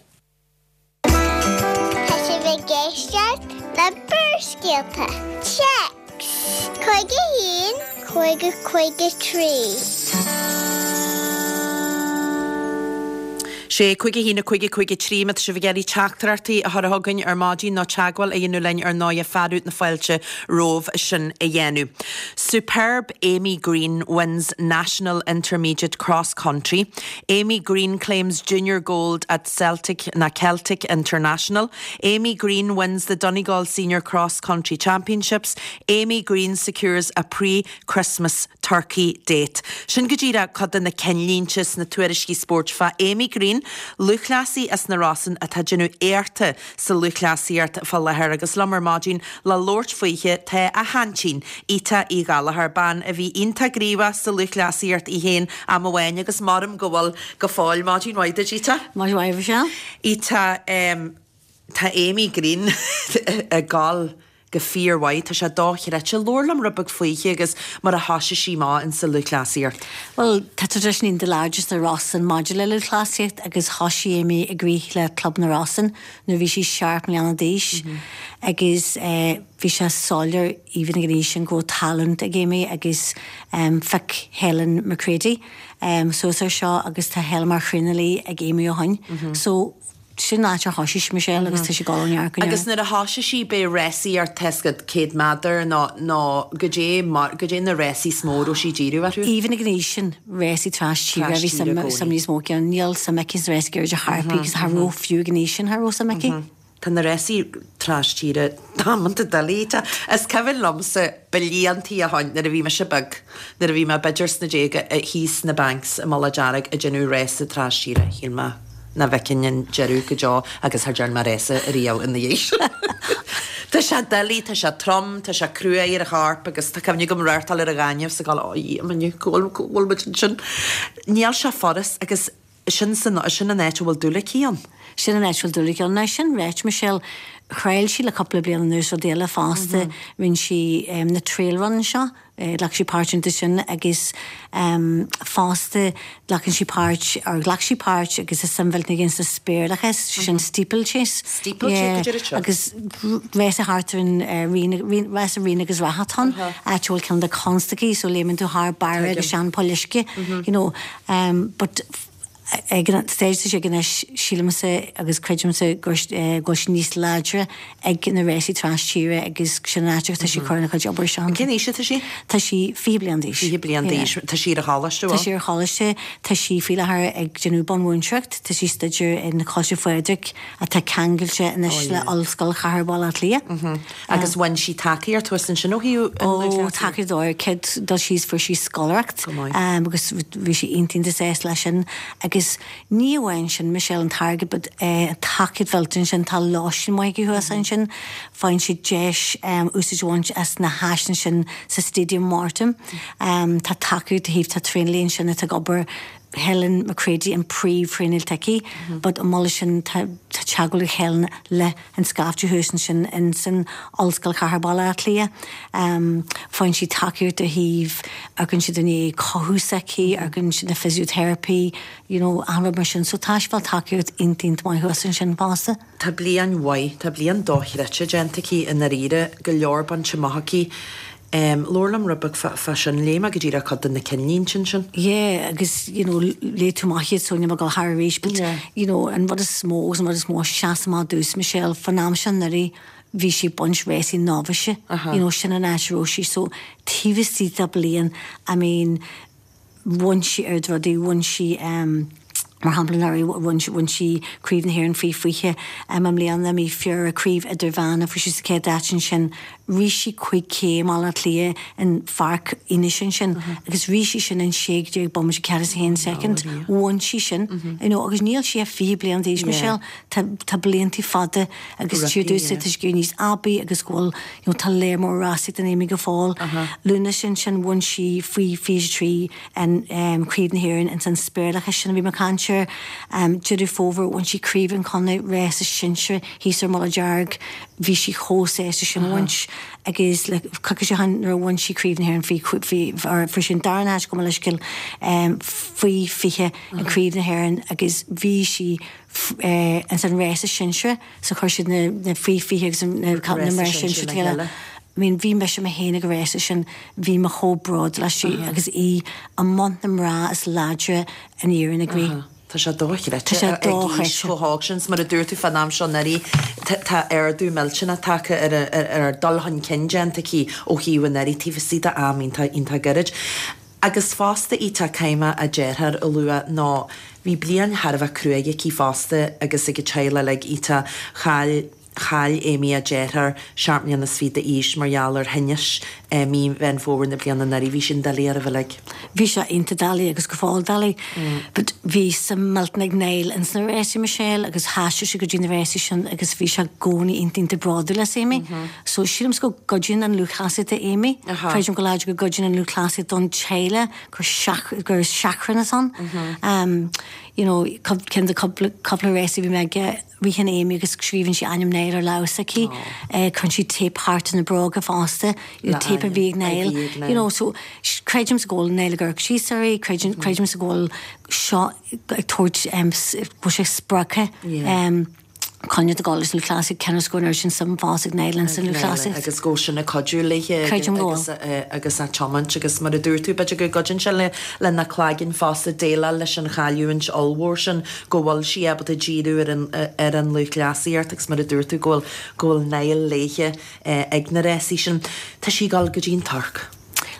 Tá sibh ag éisteacht le Barrscéalta. Téacs 51 50 53. 6, 5 1 5 5 3 Má tá sibh ag iarraidh teachtaireachtaí a chur chugainn ar maidin nó teagmháil a dhéanamh linn ar ndóighe fearadh na fáilte romhaibh sin a dhéanamh. Superb Amy Greene wins National Intermediate Cross Country. Amy Greene claims junior gold at Celtic na Celtic International. Amy Greene wins the Donegal Senior Cross Country Championships. Amy Greene secures a pre-Christmas Turkey date. Sin go díreach cuid de na cinnlínte sna tuairiscí spóirt fá Amy Greene, lúthchleasaí as na Rosann atá ag déanamh éachta sa lúthchleasaíocht fá láthair agus liom ar maidin le labhairt fúithi tá a haintín, Ita Uí Ghallchóir, bean a bhí iontach gníomhach sa lúthchleasaíocht í féin am amháin agus maram go bhfuil go fóill. Maidin mhaith duit, Ita. Maidin mhaith, Michelle. Ita, tá Amy Greene ag gabháil go fíormhaith, tá sé dochreidte. Labhair liom rud beag fúithi agus mar a thoisigh sí amach insa lúthchleasaíocht. Bhuel, tá traidisiún iontach láidir sna Rosann maidir le lúthchleasaíocht agus thoisigh Amy ag rith le Club na Rosann nuair a bhí sí seacht mbliana d'aois agus bhí sé soiléir even ag an aois sin go raibh talent ag Amy agus phioc Helen McCready suas air seo agus tá Helen mar thraenálaí ag Amy ó shoin. So sin an áit ar thoisigh sí Michelle agus tá sí ag dul ó neart go neart. Agus nuair a thoisigh sí b'é rásaíocht tá a fhios agat 100 méadar nó nó goidé mar goidé na rásaí is mó a raibh sí ag díriú orthu? Even ag an aois sin, rásaí tras tíre a bhí suim suim níos mó aici ann. Níl suim aici sna rásaí gairide chor ar bith agus cha raibh fiú ag an aois sin cha raibh suim aici. Tá na rásaí tras tíre damanta doiligh. Is cuimhin liomsa bliantaí ó shoin nuair a bhí mise beag, nuair a bhí mé b'fhéidir sna déaga, thíos sna Banks i Mullach Dearg ag déanamh rása tras tíre, shíl mé nach bhfeicfinn an deireadh go deo agus char dhearn mé rása ariamh ina dhiaidh sin. Tá sé doiligh, tá sé trom, tá sé cruaidh ar an chorp agus tá cuimhne agam reáchtáil ar an ghaineamh is ag gabháil, ó Dhia, go bhfuil muid ansin. Níl sé furast agus Sin san, sin an áit a bhfuil dúil aici ann. Sin an áit a bhfuil dúil aici ann. Now sin ráite, Michelle, thriail sí le cúpla bliain anuas rudaí eile fosta. Rinne sí na trail runs seo, ghlac sí páirt iontu sin agus fosta glacann sí páirt, or ghlac sí páirt agus tá suim mhillteanach aici sa spéirleachas, sin steeplechase. Steeplechase, goidé seo? Agus rása thart ar an Rí, rása Ríona agus Reatha atá ann, áit a bhfuil cineál de constaicí, so léimeann tú thar barra agus sean poill uisce, you know. But ag an stage atá sí ag anois, sílimse agus creidimse go bhfuil sí níos láidre ag na rásaí tras tíre agus sin an áit atá sí ag cur ina cuid obair isteach. Cén aois atá sí? Tá sí 20 bliain d'aois. 20 bliain d'aois. Tá sí ar an choláiste, bhfuil? Tá sí ar choláiste. Tá sí faoi láthair ag déanamh bunmhúinteoireacht. Tá sí ag staidéar in Coláiste Phádraig atá ceangailte anois le Ollscoil Chathair Bhaile Átha Cliath. Agus bhain sí tacaíocht thuas ansin ó thaobh an lúthchleasaíocht? Ó, tacaíocht ó, céad dul síos fuair sí scoláireacht. Go maith. Agus bhí sí iontach iontach sásta leis sin. Agus ní amháin sin, Michelle, an t-airgead but an tacaíocht mhillteanach sin, tá lóistín maith acu thuas ansin, faigheann siad deis úsáid a bhaint as na háiseanna sin sa Stadium Morton. Tá tacaíocht ó thaobh, tá traenálaí ansin atá ag obair. Helen McCready an príomh-thraenáil atá aici but an moladh sin tá teagmháil ag Helen le an scaifte thuas ansin in san Ollscoil Chathair Bhaile Átha Cliath. Faigheann sí tacaíocht ó thaobh, amharcann siad i ndiaidh cothú s'aici, amharcann siad na physiotherapy, you know, achan rud mar sin. So tá sí ag fáil tacaíocht iontach iontach maith thuas ansin fosta. Tá bliain mhaith, tá bliain dochreidte déanta aici i ndáiríre, go leor bainte amach aici. Labhair liom rud beag fá sin, léigh mé go díreach cuid de na cinnlínte ansin. Yeah agus you know léigh tú amach iad so níl mé ag dul thar arís but you know an rud is mó agus an rud is mó a sheas amach domhsa Michelle fán am seo anuraidh bhí sí ag baint rásaí novice you know sin an áit a raibh sí so taobh istigh de bliain I mean bhain sí oiread rudaí, bhain sí, mar shampla anuraidh, bhain, bhain sí Craobh na hÉireann faoi 20, i mbliana, mí Feabhra, Craobh Idirmheánach, fuair sí sa chéad áit ansin, rith sí 5K i mBaile Átha Cliath in Pháirc Fhianaise ansin agus rith sí sin in 16 bomaite 41 soicind, bhain sí sin, you know, agus níl sí ach 20 bliain d'aois, Michelle, tá, tá blianta fada agus tír domhsa, tá sí ag éirí níos aibí agus go bhfuil, you know tá léar mór rásaí don Amy go fóill. Lúnasa ansin bhain sí faoi 23 an Craobh na hÉireann ins an spéirleachas sin a bhí mé ag caint air. Deireadh Fómhair bhain sí Craobh an Chontae rása sinsir thíos ar Mullach Dearg. Bhí sí chomh sásta sin a bhaint agus le coicís ó shin nuair a bhain sí Craobh na hÉireann faoi faoi or fuair sí an darna háit gabh mo leithscéal faoi 20 in Craobh na hÉireann agus bhí sí ins an rása sinsir So chuir siad na na faoi 20 agus na na mná sinsir le chéile. I mean bhí mise mé féin ag an rása sin, bhí mé chomh bródúil aisti agus í i mbun na mná is láidre in Éirinn ag rith. Tá sé dochreidte ag aois chomh hóg sin. Mar a dúirt tú fán am seo anuraidh, tá ardú millteanach tagtha ar ar dul chun cinn déanta aici ó thaobh anuraidh taobh istigh d'am iontach iontach gairid. Agus fosta Ita, caithfidh mé a deartháir a lua nó bhí bliain thar a bheith cruaidh aici fosta agus ag a teaghlach uilig, Ita, chaill, chaill Amy a deartháir, seacht mbliana is fiche d'aois, mar gheall ar thinneas i mí Mheán Fómhair na bliana anuraidh. Bhí sin doiligh oraibh uilig. Bhí sé iontach doiligh agus go fóill doiligh. But bhí suim millteanach ag Niall ins na rásaí Michelle agus thaistil sé go dtí na rásaí sin agus bhí sé i gcónaí iontach iontach bródúil as Amy. So sílimse go gcuidíonn an lúthchleasaíocht do Amy. Creidim go láidir go gcuidíonn an lúthchleasaíocht don teaghlach gur gur seachrán atá ann. You know, ceann de cúpla cúpla rásaí a bhí mé aige, ritheann Amy agus scríobhann sí ainm Niall ar lámh s'aici. Cuireann sí téip thart ar na bróga fosta, téip a bhí ag Niall. You know, so creidimse go bhfuil Niall ag amharc síos uirthi, creidim creidimse go bhfuil seo ag tabhairt go bhfuil sé spreagtha. Coinne do leis an lúthchleasaíocht cionn is go bhfuil sin suim fós ag Niall ins an lúthchleasaíocht. Agus go bhfuil sin ag cuidiú léi agus agus á tiomáint agus mar a dúirt tú b'fhéidir go gcuidíonn sé lena cloigeann fosta déileáil leis an chailliúint ollmhór sin go bhfuil sí ábalta díriú ar an ar an lúthchleasaíocht agus mar a dúirt tú go bhfuil go bhfuil Niall léi ag na rásaí sin. Tá sí ag dul go dtí an Tuirc.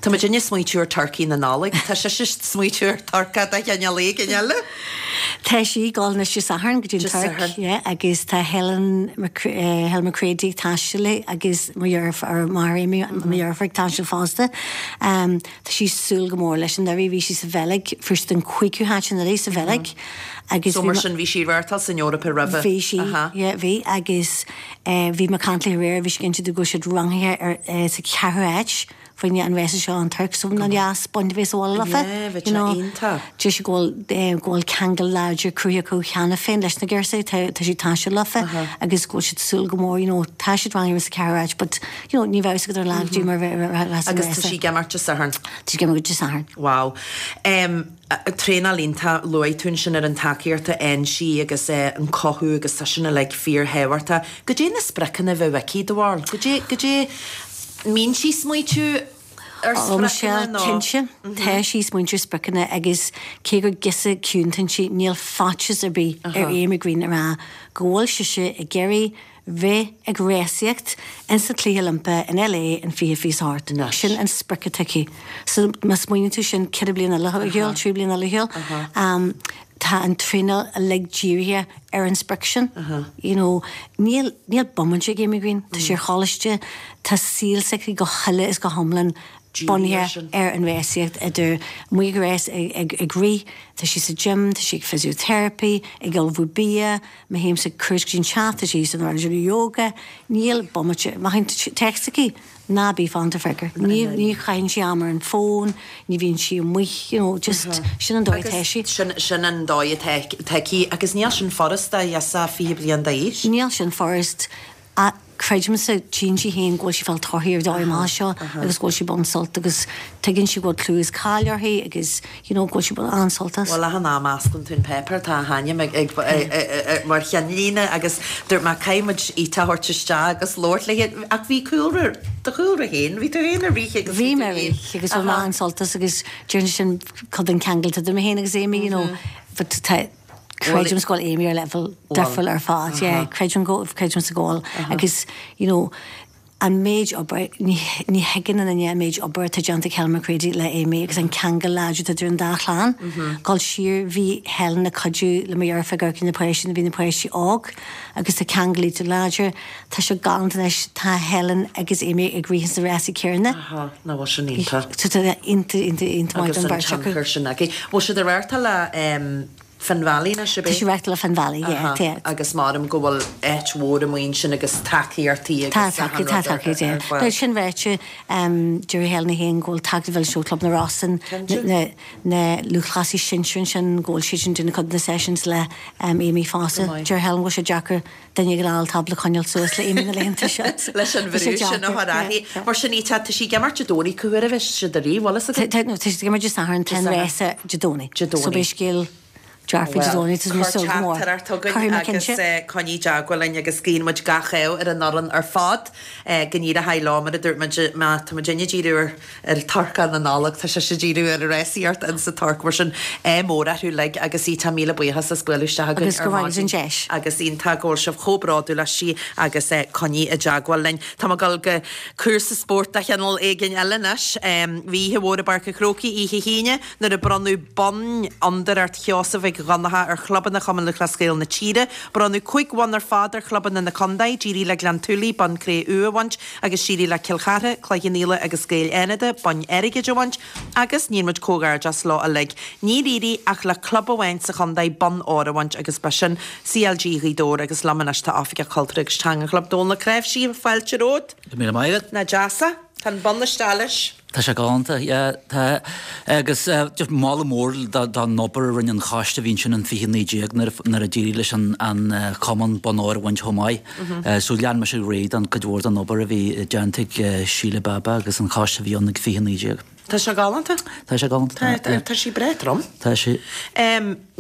Tá muidinne ag smaoitiú ar turcaí na Nollag. Tá sise ag smaoitiú ar turcach de chineál éigin eile. Tá sí ag dul anois Dé Sathairn go dtí an Tuirc, yeah, agus tá Helen Helen McCready ag taisteal léi agus mo dheirfiúr, máthair Amy, mo dheirfiúr ag taisteal fosta. Tá sí ag súil go mór leis. Anuraidh bhí sí sa Bheilg, fuair siad an cúigiú háit anuraidh sa Bheilg agus So mar sin bhí sí ag reáchtáil san Eoraip roimhe. Bhí sí, yeah, bhí agus bhí mé ag caint léi aréir, bhí sí ag inse domh go bhfuil siad rangaithe ar sa cheathrú háit fá choinne an rása seo an Tuirc so nach deas baint a bheith sa bhaile leofa Yeah, bheadh sé iontach. Deir sí go bhfuil go bhfuil ceangal láidir cruthaithe acu cheana féin leis na girseachaí, tá tá siad ag taisteal leofa agus go bhfuil siad ag súil go mór you know tá siad rangaithe sa cheathrú háit but you know ní bheadh a fhios agat ar an lá go dtí mar a bheas an Agus tá sí ag imeacht Dé Sathairn. Tá sí ag imeacht Dé Sathairn. Wow. Em Traenáil iontach, luaigh tú ansin ar an tacaíocht a fhaigheann sí agus an cothú agus tá sin uilig fíorthábhachtach. Goidé na spriocanna a bheadh aici, do bharúil? Goidé, goidé, mbíonn sí ag smaoitiú ar Ó, Michelle, spriocanna nó? cinnte, tá sí ag smaointiú ar spriocanna agus cé gur girseach ciúin atá inti, níl faitíos ar bith ar Amy Greene a rá go bhfuil sise ag iarraidh bheith ag rásaíocht ins na Cluichí Oilimpeacha in LA in 2028. Sin an sprioc atá aici. So má smaoiníonn tú sin 4 bliana eile ar shiúl, 3 bliana eile ar shiúl, tá an traenáil uilig dírithe ar an sprioc sin. You know, níl, níl bomaite ag Amy Greene. Tá sí ar choláiste, tá saol s'aici go huile is go hiomlán. Bunaithe ar an rásaíocht, idir amuigh ag rás, ag rith, tá sí sa gym, tá sí ag physiotherapy, ag ullmhú bia, má théimse cuairt go dtí an teach, tá sí san áireamh ag déanamh yoga, níl bomaite, má théann text aici, ná bí fanacht ar freagra. Ní ní chaitheann sí am ar an bhfón, ní bhíonn sí amuigh, you know, just sin an dóigh atá sí. Sin sin an dóigh atá aici agus níl sin furast do ghirseach 20 bliain d'aois. Níl sin furast. Ach creidimse, tchíonn sí féin go bhfuil sí ag fáil torthaí ar dóigh amach seo agus go bhfuil sí ag baint sult agus tuigeann sí go bhfuil clú is cáil uirthi agus you know go bhfuil sí ag baint an-sult as. Bhuel, achan am a osclaíonn tú an páipéar tá a hainm ag ag mar cheannlíne agus dúirt mé caithfidh muid Ita a thabhairt isteach agus labhairt léi ach bhí cúlra, do chúlra féin, bhí tú féin ag rith agus bhí mé ag rith agus bhain mé an-sult as agus déarfainn sin cuid den ceangal idir mé féin agus Amy you know but tá Creidim go bhfuil Amy ar leibhéal difriúil ar fad, yeah, creidim go, creidimse go bhfuil agus you know an méid obair, ní, ní thuigeann aon duine an méid obair atá déanta ag Helen McCready le Amy agus an ceangal láidir atá idir an dá chlann. Dul siar, bhí Helen ag cuidiú le mo dheirfiúr ag amharc ar na páistí nuair a bhí na páistí óg agus tá ceangal iontach láidir. Tá sé galánta anois, tá Helen agus Amy ag rith ins na rásaí céanna. Aha, nach bhfuil sin iontach. Tá iontach, iontach, iontach maith don bheirt acu. Agus an tionchar sin aici. Bhfuil siad ag reáchtáil le Finn Valley anois, ab é? Tá sí ag reáchtáil le Finn Valley, yeah, tá. Agus maram go bhfuil áit mhór amuigh ansin agus tacaíochtaí agus achan rud ar fáil. Tá tacaíocht, tá tacaíocht, yeah. Sin ráite, deir Helen féin go bhfuil tacaíocht mhillteanach ó Chlub na Rosann, na na lúthchleasaí sinsir ansin, go bhfuil siad sin ag déanamh cuid de na sessions le Amy fosta. Deir Helen go bhfuil sé deacair duine ag an tábla a choinneáil suas le Amy na laethanta seo. Leis an bhrú sin a chur uirthi. Mar sin, tá sí ag imirt Dé Domhnaigh, cá huair a bheas siad ag rith, bhfuil fhios agat? Tá siad ag imirt Dé Sathairn, tá an rása Dé Domhnaigh. Dé Domhnaigh. So beidh scéal dearfa Dé Domhnaigh, tá mé ag súil go mór. Cuir teachtaireacht chugainn agus coinnigh i dteagmháil linn agus guíonn muid gach ádh ar an fhoireann ar fad go n-éireoidh leo mar a dúirt muid má tá muid ag díriú ar ar Torcán na Nollag, tá sise ag díriú ar an rásaíocht in sa Tuirc, mar sin, ádh mór orthu uilig agus Ita, míle buíochas as bualadh isteach againn ar maidin. Agus Agus iontach go bhfuil sibh chomh bródúil aisti agus coinnigh i dteagmháil linn. Tá mé ag dul go cúrsa spóirt de chineál éigin eile anois. Bhí oíche mhór i bPáirc an Chrócaigh oíche hAoine nuair a bronnadh bonn Fhondúireacht Sheosaimh Mhic Dhonncha ar chlubanna Chumann Lúthchleas Gael na tíre. Bronnadh 5 bhonn ar fad ar chlubanna na contae, d'éirigh le Gleann tSúilí bonn cré-umha a bhaint, Agus d'éirigh le Cill Chartha, Cloich Cheann Fhaola agus Gaeil Fhánada boinn airgid a bhaint agus níl muid comhghairdeas leo uilig. Níor éirigh ach le club amháin sa chontae bonn óir a bhaint agus ba sin CLG Ghaoth Dobhair agus liom anois tá Oifigeach Cultúrtha agus Teanga an chlub Dónal Ó Cnáimhsí, fáilte romhat. Go raibh míle maith agat. Nach deas é? Tá an bonn isteach leis. Tá sé galánta, yeah, tá. Agus just moladh mór don obair a rinne an choiste a bhí ansin in 2019 nuair nuair a d'éirigh leis an an cumann bonn óir a bhaint chomh maith. So lean mise ar aghaidh don cuid mhór den obair a bhí déanta ag Síle Baba agus an choiste a bhí ann ag 2019. Tá sé galánta. Tá sé galánta. Tá, tá sé breá trom. Tá sé.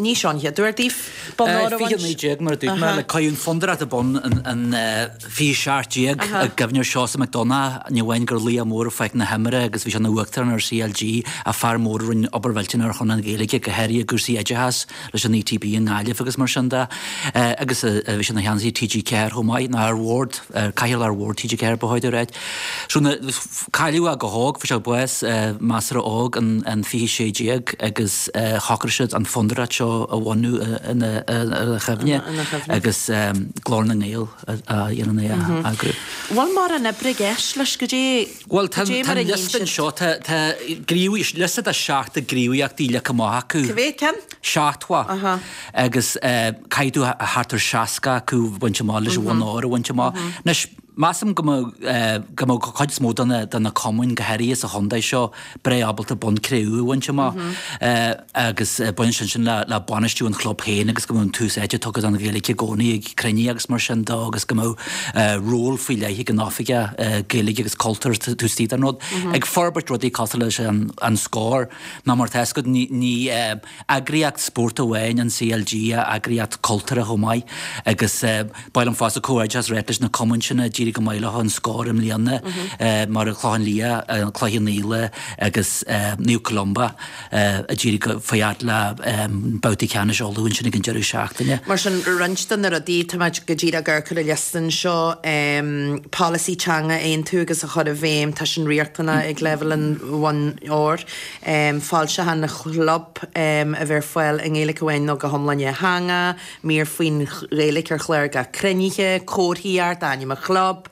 Ní seo an chéad uair daoibh bonn óir a bhaint. 2019 mar a dúirt mé, le caitheadh an Fondúireacht bonn in 2017 i gcuimhne ar Seosamh Mac Donncha, ní amháin gur laoch mór ar pháirc na himeartha agus bhí sé ina uachtarán ar CLG ach fear mór a rinne obair mhillteanach ar shon an Ghaeilge, go háirithe i gcúrsaí oideachais leis an ETB i nGaillimh agus mar sin de. Agus bhí sé ina cheannasaí TG4 chomh maith, nó ar bhord, cathaoirleach ar bhord TG4 ba chóir a ráit. So cailleadh é go hóg, fuair sé bás measartha óg in 2016 agus shocraigh siad an fondúireacht seo a bhunú ina chuimhne agus Glór na nGael a dhéanann é a eagrú. Bhfuil mórán oibre i gceist leis go dté Bhuel tá an liosta anseo, tá liosta de 70 gníomhaíochtaí leagtha amach acu. Cá mhéad ceann? 70. Agus caithfidh tú thart ar 60 acu a bhaint amach leis an bhonn óir a bhaint amach. Anois, Measaim go mbeadh go mbeadh cuid is mó de na de na cumainn, go háirithe sa chontae seo, breá ábalta bonn cré-umha a bhaint amach agus baineann sé sin le le bainistiú an chlub féin agus go mbeadh an tús áite tugtha don Ghaeilge i gcónaí ag cruinnithe agus mar sin de agus go mbeadh ról faoi leith ag an oifigeach Gaeilge agus cultúir taobh istigh den rud. Ag forbairt rudaí cosúil leis an an Scór nó mar tá a fhios agat ní ní eagraíocht spóirt amháin an CLG eagraíocht cultúrtha chomh maith agus Ba mhaith liom fosta comhghairdeas a ráit leis na cumainn sin a d'éirigh go maith leo an Scór i mbliana, mar an Clochán Liath, an Cloich Cheann Fhaola agus Naomh Columba a d'éirigh go fad le babhtaí ceannais Uladh ansin ag an deireadh seachtaine. Mar sin, roinnt de na rudaí, tá muid go díreach ag amharc ar an liosta anseo, polasaí teanga a aontú agus a chur i bhfeidhm, tá sin riachtanach ag leibhéal an bhoinn óir, foilseacháin an chlub a bheith ar fáil i nGaeilge amháin nó go hiomlán dhátheangach, Mír faoin Ghaeilge ar chlár gach cruinnithe, comharthaíocht, ainm an chlub.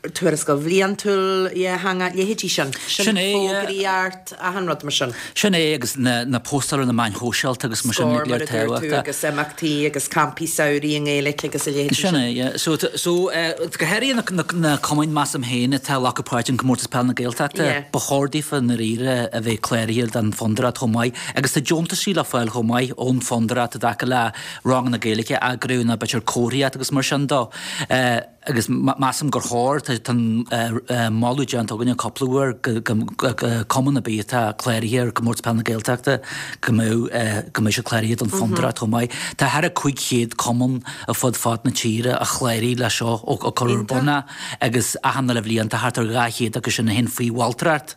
Tuarascáil bhliantúil dhátheangach, leithéidí sin. Sin é, yeah. Fógraíocht, achan rud mar sin. Sin é, agus na postáil ar na meáin shóisialta agus mar sin, Scór, mar a dúirt tú, agus imeachtaí agus campaí samhraidh i nGaeilge agus a leithéidí sin. Sin é, yeah. So, so, go háirithe na cumainn, measaim féin, atá ag glacadh páirt in Comórtas Peile na Gaeltachta, ba chóir daofa i ndáiríre a bheith cláraithe don Fhondúireacht chomh maith. Agus tá deontaisí le fáil chomh maith ón Fhondúireacht i dtaca le ranganna Gaeilge a eagrú nó b'fhéidir comharthaíocht agus mar sin dó. Agus measaim gur chóir, tá an moladh déanta againne cúpla uair go cumann ar bith atá cláraithe ar Comórtas Peile na Gaeltachta go mbeadh go mbeadh siad cláraithe don Fhondúireacht chomh maith. Tá thar a 500 cumann ar fud fad na tíre a chláraigh le seo ó cuireadh ar bun é agus achan uile bhliain tá thart ar 200 acu sin a théann faoi mholtóireacht.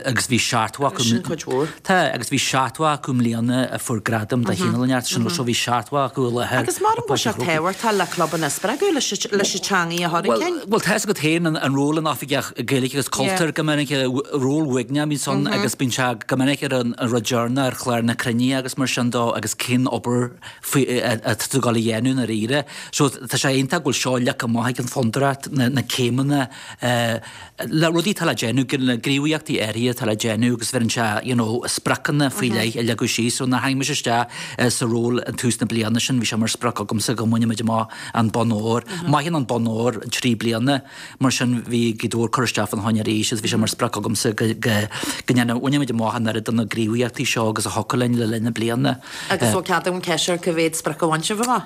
agus bhí 70 acu. Sin cuid mhór. Tá, agus bhí 70 acu i mbliana a fuair gradam de chineál inteacht sin so bhí 70 acu i láthair. Agus maram go bhfuil sé tábhachtach le clubanna a spreagadh leis an teangaidh a chur chun cinn. Bhuel, tá fhios agat féin an ról an Oifigeach Gaeilge agus Cultúir go minic, ról uaigneach a bhíonns ann agus bíonn sé go minic ar an rud deireanach ar chlár na cruinnithe agus mar sin dó agus cén obair faoi atá tú ag dul a dhéanamh i ndáiríre. So tá sé iontach go bhfuil seo leagtha amach ag an Fondúireacht, na céimeanna le rudaí atá le déanamh, na gníomhaíochtaí áirithe atá le déanamh agus bheireann sé you know spriocanna faoi leith a leagadh síos. So nuair a tháinig mise isteach sa ról an tús na bliana sin bhí sé mar sprioc agamsa go mbainfidh muid amach an bonn óir. Maitheann an bonn óir 3 bliana mar sin bhí Gaoth Dobhair curtha isteach fán choinne arís agus bhí sé mar sprioc agamsa go go go ndéanfadh bhainfidh muid amach an oiread de na gníomhaíochtaí seo agus a thiocfadh linn le linn na bliana. Agus bhfuil cead agam ceist ar cá mhéad sprioc a bhain sibh amach?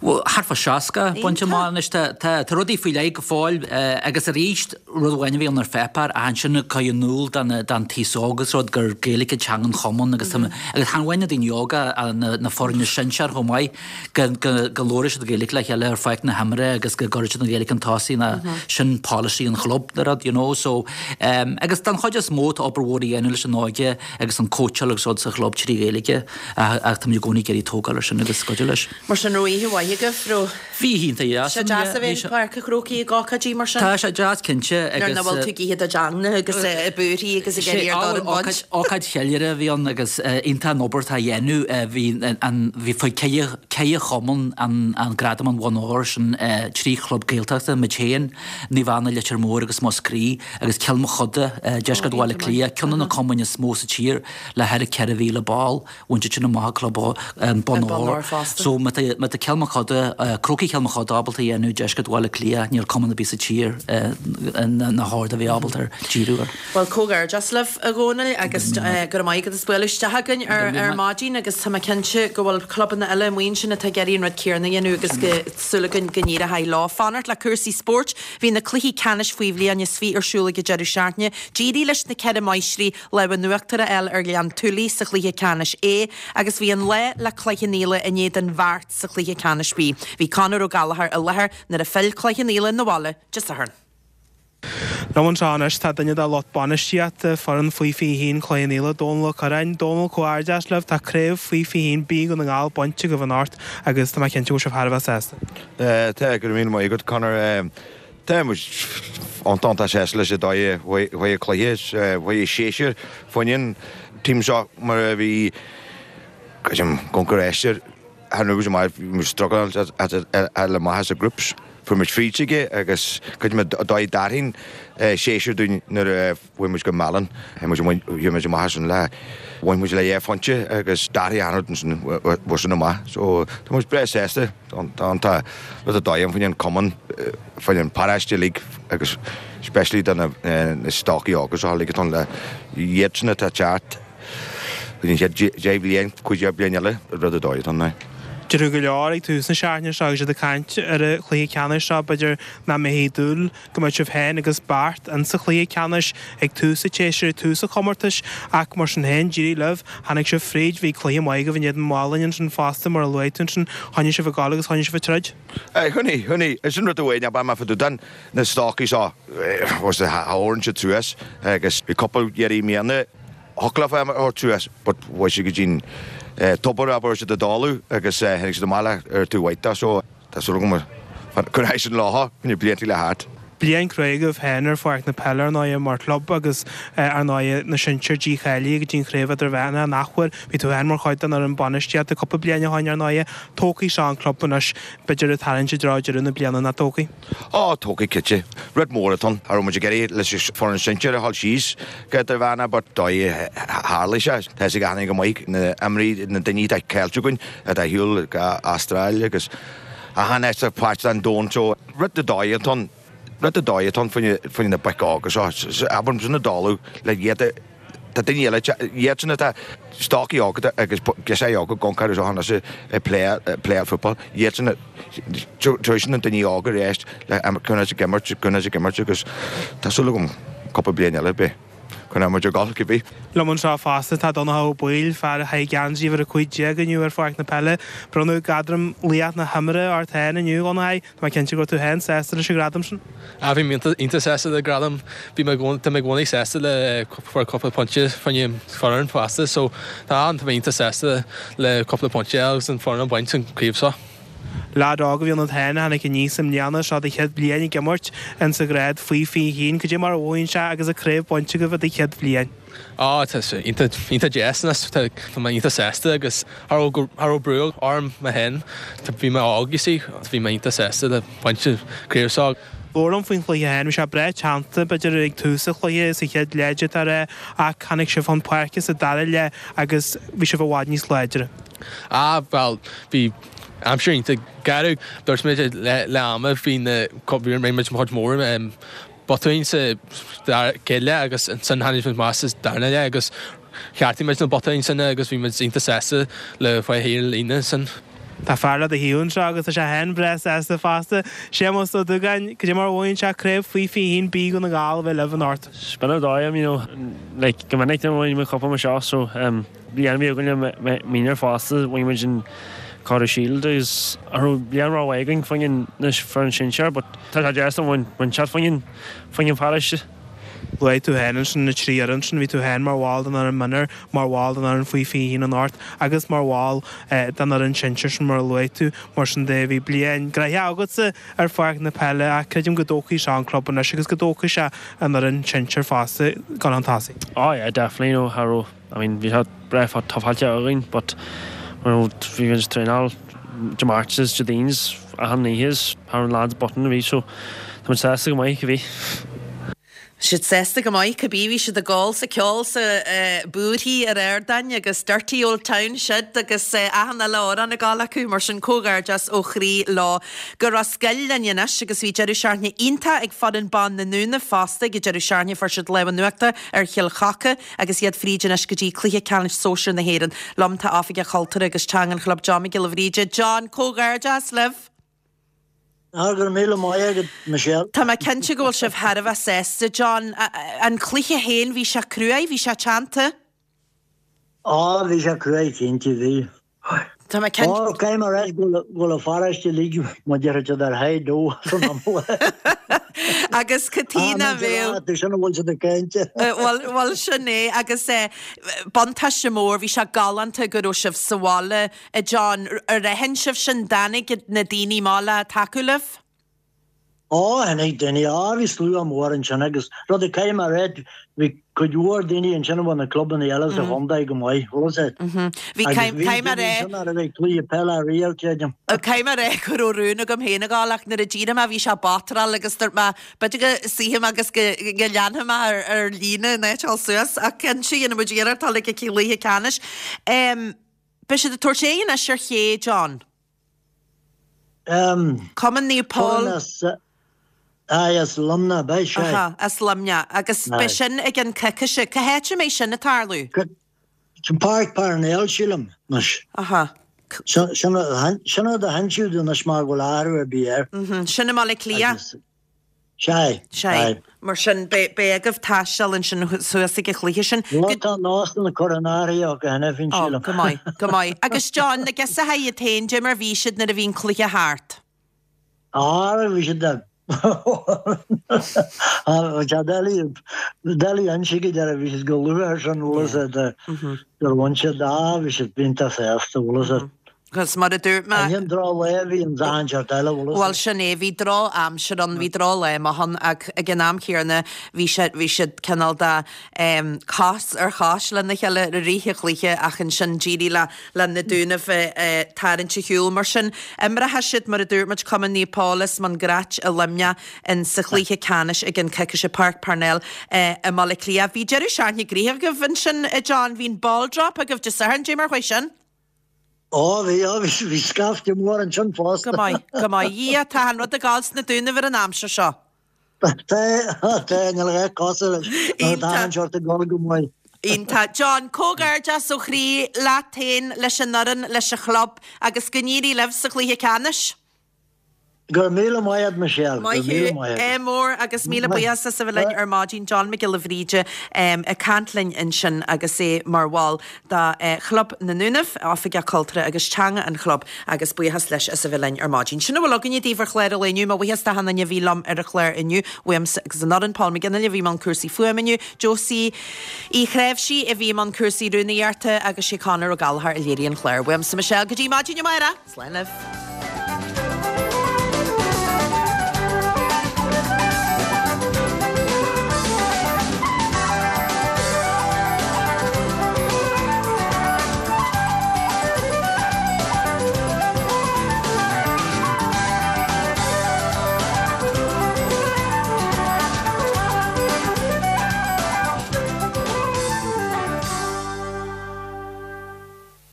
Bhuel, thart fá 60 bainte amach anois. Tá rudaí faoi leith go fóill agus arís, rud amháin a bhí ann ar pháipéar ach ansin ag cur in iúl don taos óg agus rud gur Gaeilge teanga an chumainn agus agus chan amháin na daoine óga ach na foirne sinsear chomh maith go go labhróidh siad Gaeilge le chéile ar pháirc na himeartha agus go gcuirfidh siad an Ghaeilge chun tosaigh ná sin polasaí an chlub nó rud, you know. So, agus don chuid is mó tá obair mhór á dhéanamh leis an óige agus an cóitseáil agus rud sa chlub trí Ghaeilge. Ach táimid i gcónaí ag iarraidh tógáil ar sin agus cuidiú leis. Mar sin, raibh oíche mhaith agaibh, raibh? Bhí iontach deas. Sé deas a bheith i bPáirc an Chrócaigh ag ócáidí mar sin. Tá sé deas cinnte agus. Nuair nach bhfuil tú ag ithe do theanga agus ag búirthí agus ag iarraidh ar dorn baint. Ócáid cheiliúrtha a bhí ann agus iontach an obair atá á dhéanamh. Bhí an, bhí faoi ceithre chumann an gradam an bhonn óir sin, 3 chlub Gaeltachta, muid féin, Naomh Anna Leitir Móir agus Múscraí agus Cill Mochuda, Deisceart Bhaile Átha Cliath, ceann de na cumainn is mó sa tír. le thar 4,000 ball, bhain siad sin amach an club an bonn óir. So má tá má tá Cill Mochuda, Crócaigh Chill Mochuda ábalta a dhéanamh, Deisceart Bhaile Átha Cliath, níl cumann ar bith sa tír nach chóir a bheith ábalta díriú air. Bhuel, comhghairdeas libh, a Dhónaill, agus go raibh maith agat as bualadh isteach againn ar ar maidin agus tá mé cinnte go bhfuil clubanna eile amuigh ansin atá ag iarraidh an rud céanna a dhéanamh agus go súil againn go n-éireoidh leo. Fanacht le cúrsaí spóirt, bhí na cluichí ceannais faoi bhliain is 20 ar siúl ag an deireadh seachtaine. D'éirigh leis na Ceithre Máistrí Lámh in uachtar a fháil ar Ghleann tSúilí sa chluiche ceannais A agus bhí an lá le Cloich Cheann Fhaola in éadan Bheart sa chluiche ceannais B. Bhí Conor Ó Gallchóir i láthair nuair a phill Cloich Cheann Fhaola 'na bhaile Dé Sathairn. Liom anseo anois tá duine de lucht bainistíochta foireann Faoi 21 Chloich Cheann Fhaola, Dónal Ó Curráin. Dónal, comhghairdeas libh, tá craobh Faoi 21 B Dhún na nGall bainte agaibh anocht agus tá mé cinnte go bhfuil sibh thar a bheith sásta. Tá, go raibh míle maith agat Conor. Tá muid iontach iontach sásta leis an dóigh a chuaigh an cluiche, chuaigh an séasúr fá choinne an team seo mar a bhí creidim goncar aistear thar an amach bhí muid struggling le amach as na groups fuair muid fríd aige agus creidim an dóigh a d'athraigh an séasúr dúinn nuair a Chuaigh muid go Málainn, chuaigh muid amach ansin le, bhain muid le dhá phointe agus d'athraigh an rud ansin, bhain sin amach. So tá muid breá sásta, tá an tá rud ar dóigh ann faoin an cumann, faoin an paráiste uilig agus especially do na stocaí óga seo uilig atá ann le iadsan atá ag teacht faoin an chéad 10 bhliain, 15 bliain eile, rud ar dóigh atá ann. Deireadh go leor ag tús na seachtaine seo agus iad ag caint ar an chluiche ceannais seo, b'fhéidir nach mbeifí ag dúil go mbeadh sibh féin agus Beart in sa chluiche ceannais ag tús an tséasúir, ag tús an chomórtais ach mar sin féin, d'éirigh libh, tháinig sibh fríd, bhí cluiche maith agaibh in éadan Mhálainn ansin fosta mar a luaigh tú ansin, choinnigh sibh ag gabháil agus choinnigh sibh ag troid. Aye, choinnigh, choinnigh. Sin rud amháin ab ea fá dtaobh de na stocaí seo, thabharfainn siad suas agus bhí cúpla iarraidh i mbliana, thiocfadh leofa a thabhairt suas but chuaigh siad go dtí'n tobar a raibh siad ag dul agus tháinig siad amach le ar taobh mhaith de so tá súil agam gur éirigh sin leo na blianta le theacht. Bliain cruaidh agaibh féin ar pháirc na peile ar ndóighe mar chlub agus ar ndóighe na sinsir dícháilithe go dtí an chraobh idirmheánach an athuair. Bhí tú féin mar chuid den fhoireann bainistíochta cúpla bliain ó shoin ar ndóighe. Tógfaidh seo an club anois b'fhéidir ag tarraingt i dtreo deireadh na bliana nach dtógfaidh? Ó, tógfaidh cinnte. Rud mór atá ann. Cha raibh muid ag iarraidh leis an foireann sinsir a dhul síos go idirmheánach but dóigh tharlaigh sé. Tá fhios ag achan duine go maith na imreoirí, na daoine atá caillte againn atá ar shiúl go Astráil agus achan áit sa pháirt den domhan so rud de dóigh atá ann, rud de dóigh atá ann faoi na boic óga seo. Abair sin ag dul le iad a, tá daoine eile, iadsan atá stocaí óga agus girseachaí óga ag amharc air seo anois ag playáil football, iadsan tar éis na daoine óga arís le conas ag imirt, conas ag imirt agus tá súil agam cúpla bliain eile beidh. Coinneoidh muid ag gabháil, cibé. Liom anseo fosta tá Donncha Ó Baoill, fear a chaith geansaí uimhir 15 inniu ar pháirc na peile. Bronnadh gradam Laoch na hImeartha ort féin inniu, a Dhonncha. Tá mé cinnte go raibh tú féin sásta leis an ghradam sin. Ah, bhí mé iontach sásta le gradam. Bhí mé tá mé i gcónaí sásta le fuair cúpla pointe fá choinne foireann fosta so tá tá mé iontach sásta le cúpla pointe agus an foireann a bhaint an craobh seo. Leaid óg a bhí ionat féin a tháinig aníos i mbliana, seo do chéad bhliain ag imirt in sa ghrád faoi 21. Cad é mar a mhothaíonn sé agus an craobh bainte agaibh i do chéad bhliain? Á, tá sé iontach, iontach deas anois, tá, tá mé iontach sásta agus cha raibh, cha raibh brú orm mé féin, bhí mé óg you see, bhí mé iontach sásta le baint an craobh seo. Labhair liom faoin chluiche féin, bhí sé breá teannta, b'fhéidir ag tús an chluiche, sa chéad leath d'fhéadfá a rá, ach tháinig sibh chun páirce sa dara leath agus bhí sibh i bhfad níos láidre. Á, bhuel, bhí aimsir iontach garbh. Dúirt muid leath ama, bhí na, bhí muid chuid mhór botúin sa chéad leath agus ansin tháinig muid amach sa darna leath agus cheartaigh muid na botúin sin agus bhí muid iontach sásta le fáil thiar líne ansin. Tá fear le do thaobh anseo agus tá sé féin breá sásta fosta. Séamus Ó Dúgáin, cad é mar a mhothaíonn sé craobh faoi 21 B Dhún na nGall a bheith libh anocht? B'in an dóigh, you know, like go minic nuair a bhain muid cupa mar seo so um, Bliain a bhí againn le mionúir fosta, bhain muid an Corr Shield agus cha raibh bliain rómhaith againn fá choinne na foireann sinsear but tá sé deas an bhain siad fá choinne fá choinne an pharóiste. Luaigh tú féin ansin na trí fhoireann sin, bhí tú féin mar bhall den fhoireann mionúir, mar bhall den fhoireann faoi 21 anocht agus mar bhall den fhoireann sinsir sin mar a luaigh tú. Mar sin de, bhí bliain gnoitheach agatsa ar pháirc na peile ach creidim go dtógfaidh seo an club anois agus go dtógfaidh sé an fhoireann sinsir fosta chun an tosaigh. Oh yeah definitely, you know, cha raibh I mean bhí sé breá tufáilte againn but you know bhí muid ag traenáil Dé Máirt is Dé Daoine is achan oíche is cha raibh na lads button a bhí so tá muid sásta go maith cibé. Siad sásta go maith cibé bhí siad ag gol 's ag ceol 's ag búirthigh ar ardáin agus Dirty Old Town siad agus achan uile amhrán ag gol acu mar sin comhghairdeas ó chroí leo. Go Ros Goill linn anois agus bhí deireadh seachtaine iontach ag foireann ban na nDúnaibh fosta ag an deireadh seachtaine fuair siad lámh in uachtar ar Chill Choca Agus iad fríd anois go dtí Cluiche Ceannais Sóisir na hÉireann. Liom tá Oifigeach Cultúrtha agus Teanga an Chlub John Mac Giolla Bhríde. John, comhghairdeas libh! Ah, go raibh míle maith agat, Michelle. Tá mé cinnte go bhfuil sibh thar a bheith sásta, John. An cluiche féin, bhí sé cruaidh, bhí sé teannta? Á, bhí sé cruaidh, cinnte, bhí. Tá mé cinnte. Ó, caithfidh mé a rá go bhfuil an pharóiste uilig mar déarfadh siad ar high dó san iomlán. Agus cad chuige nach mbeadh. Tú sin a bhfuil siad ag caint. Bhuel, bhuel sin é agus buntáiste mór, bhí sé galánta go raibh sibh sa bhaile, a John. Ar aithin sibh sin, dtáinig na daoine amach le tacú libh? Ó, tháinig daoine, á, bhí slua mór ansin agus rud a caithfidh mé a rá, bhí cuid mhór daoine ansin a bhfuil na clubanna eile sa chontae go maith, bhfuil fhios a'd. Bhí, Agus bhí caithfidh mé a daoine rá. ansin nach raibh ag cluiche peile riamh, creidim. Caithfidh mé a rá go raibh rún agam féin a ghabháil ach nuair a d'éirigh mé bhí sé batráil agus dúirt mé b'fhéidir go suífidh mé agus go go leanfaidh mé ar ar líne in áit a dhul suas ach cinnte dhéanfaidh muid iarracht dul ag an cluiche ceannais. Beidh siad ag tabhairt aghaidh anois ar ché, John? Cumann Naomh Pól. Aye, as Luimneach, beidh sé. Aha, as Luimneach. Agus beidh sin i gceann coicíse. Cá háit a mbeidh sin ag tarlú? Sin Páirc Parnell, sílim, anois. Aha. Sin rud a hinsíodh domh anois mar go bhfuil athrú ar bith air. Sin i mBaile Átha Cliath. Sea. Sea. Mar sin, beidh agaibh taisteal ansin suas ag an chluiche sin. Bhuel, tá an Austin ag cur in áirithe acu cheana féin, sílim. Ó, go maith, go maith. Agus John, na girseachaí iad féin, dé mar bhí siad nuair a bhí an cluiche thart? Á, bhí siad a. Bhí siad doiligh, doiligh a inse go deireadh, bhí siad go luath ar sin, bhfuil fhios a'd, gur bhain siad, á, bhí siad iontach sásta, bhfuil fhios a'd. Agus mar a dúirt mé. Ní an drochlá a bhí ann achan seort eile, bhfuil fhios Bhuel, sin é, bhí drochaimsir ann, bhí drochlá maith ann ach ag an am chéanna bhí sé, bhí siad cineál de cos ar chois lena chéile i rith an chluiche ach ansin d'éirigh le, le na Dúnaibh tarraingt ar shiúl. Mar sin, imreoidh siad, mar a dúirt muid, Cumann Naomh Pól as Maigh Grait i Luimneach in sa chluiche ceannais ag an coicíse Páirc Parnell i mBaile Átha Cliath. Bhí deireadh seachtaine gnoitheach agaibh ansin, a John, bhí an ball drop agaibh Dé Sathairn, dé mar chuaigh sin? Ó bhí, ó bhí, bhí scaifte mór ansin fosta. Go maith, go maith. Dhia, tá an rud ag gabháil sna Dúnaibh ar an aimsir seo. Tá, tá, níl a dhath cosúil leis. Tá an seort ag dul go maith. Iontach. John, comhghairdeas ó chroí leat féin, leis an fhoireann, leis an chlub agus go n-éirí libh sa chluiche ceannais. Go raibh míle maith agat Michelle. Maith thú, ádh mór agus míle buíochas as a bheith linn ar maidin. John Mac Giolla Bhríde ag caint linn ansin agus é mar bhall de Chlub na nDúnaibh, Oifigeach Cultúrtha agus Teanga an chlub agus buíochas leis as a bheith linn ar maidin. Sin a bhfuil againne daoibh ar chlár an lae inniu. Mo bhuíochas d'achan duine a bhí liom ar an chlár inniu. Uaimse agus an fhoireann, Paul McGinley a bhí i mbun cúrsaí fuaime inniu, Josie Uí Chnáimhsí a bhí i mbun cúrsaí rúnaíochta agus sé Conor Ó Gallchóir a léirigh an clár. Uaimse Michelle go dtí maidin amárach. Slán libh.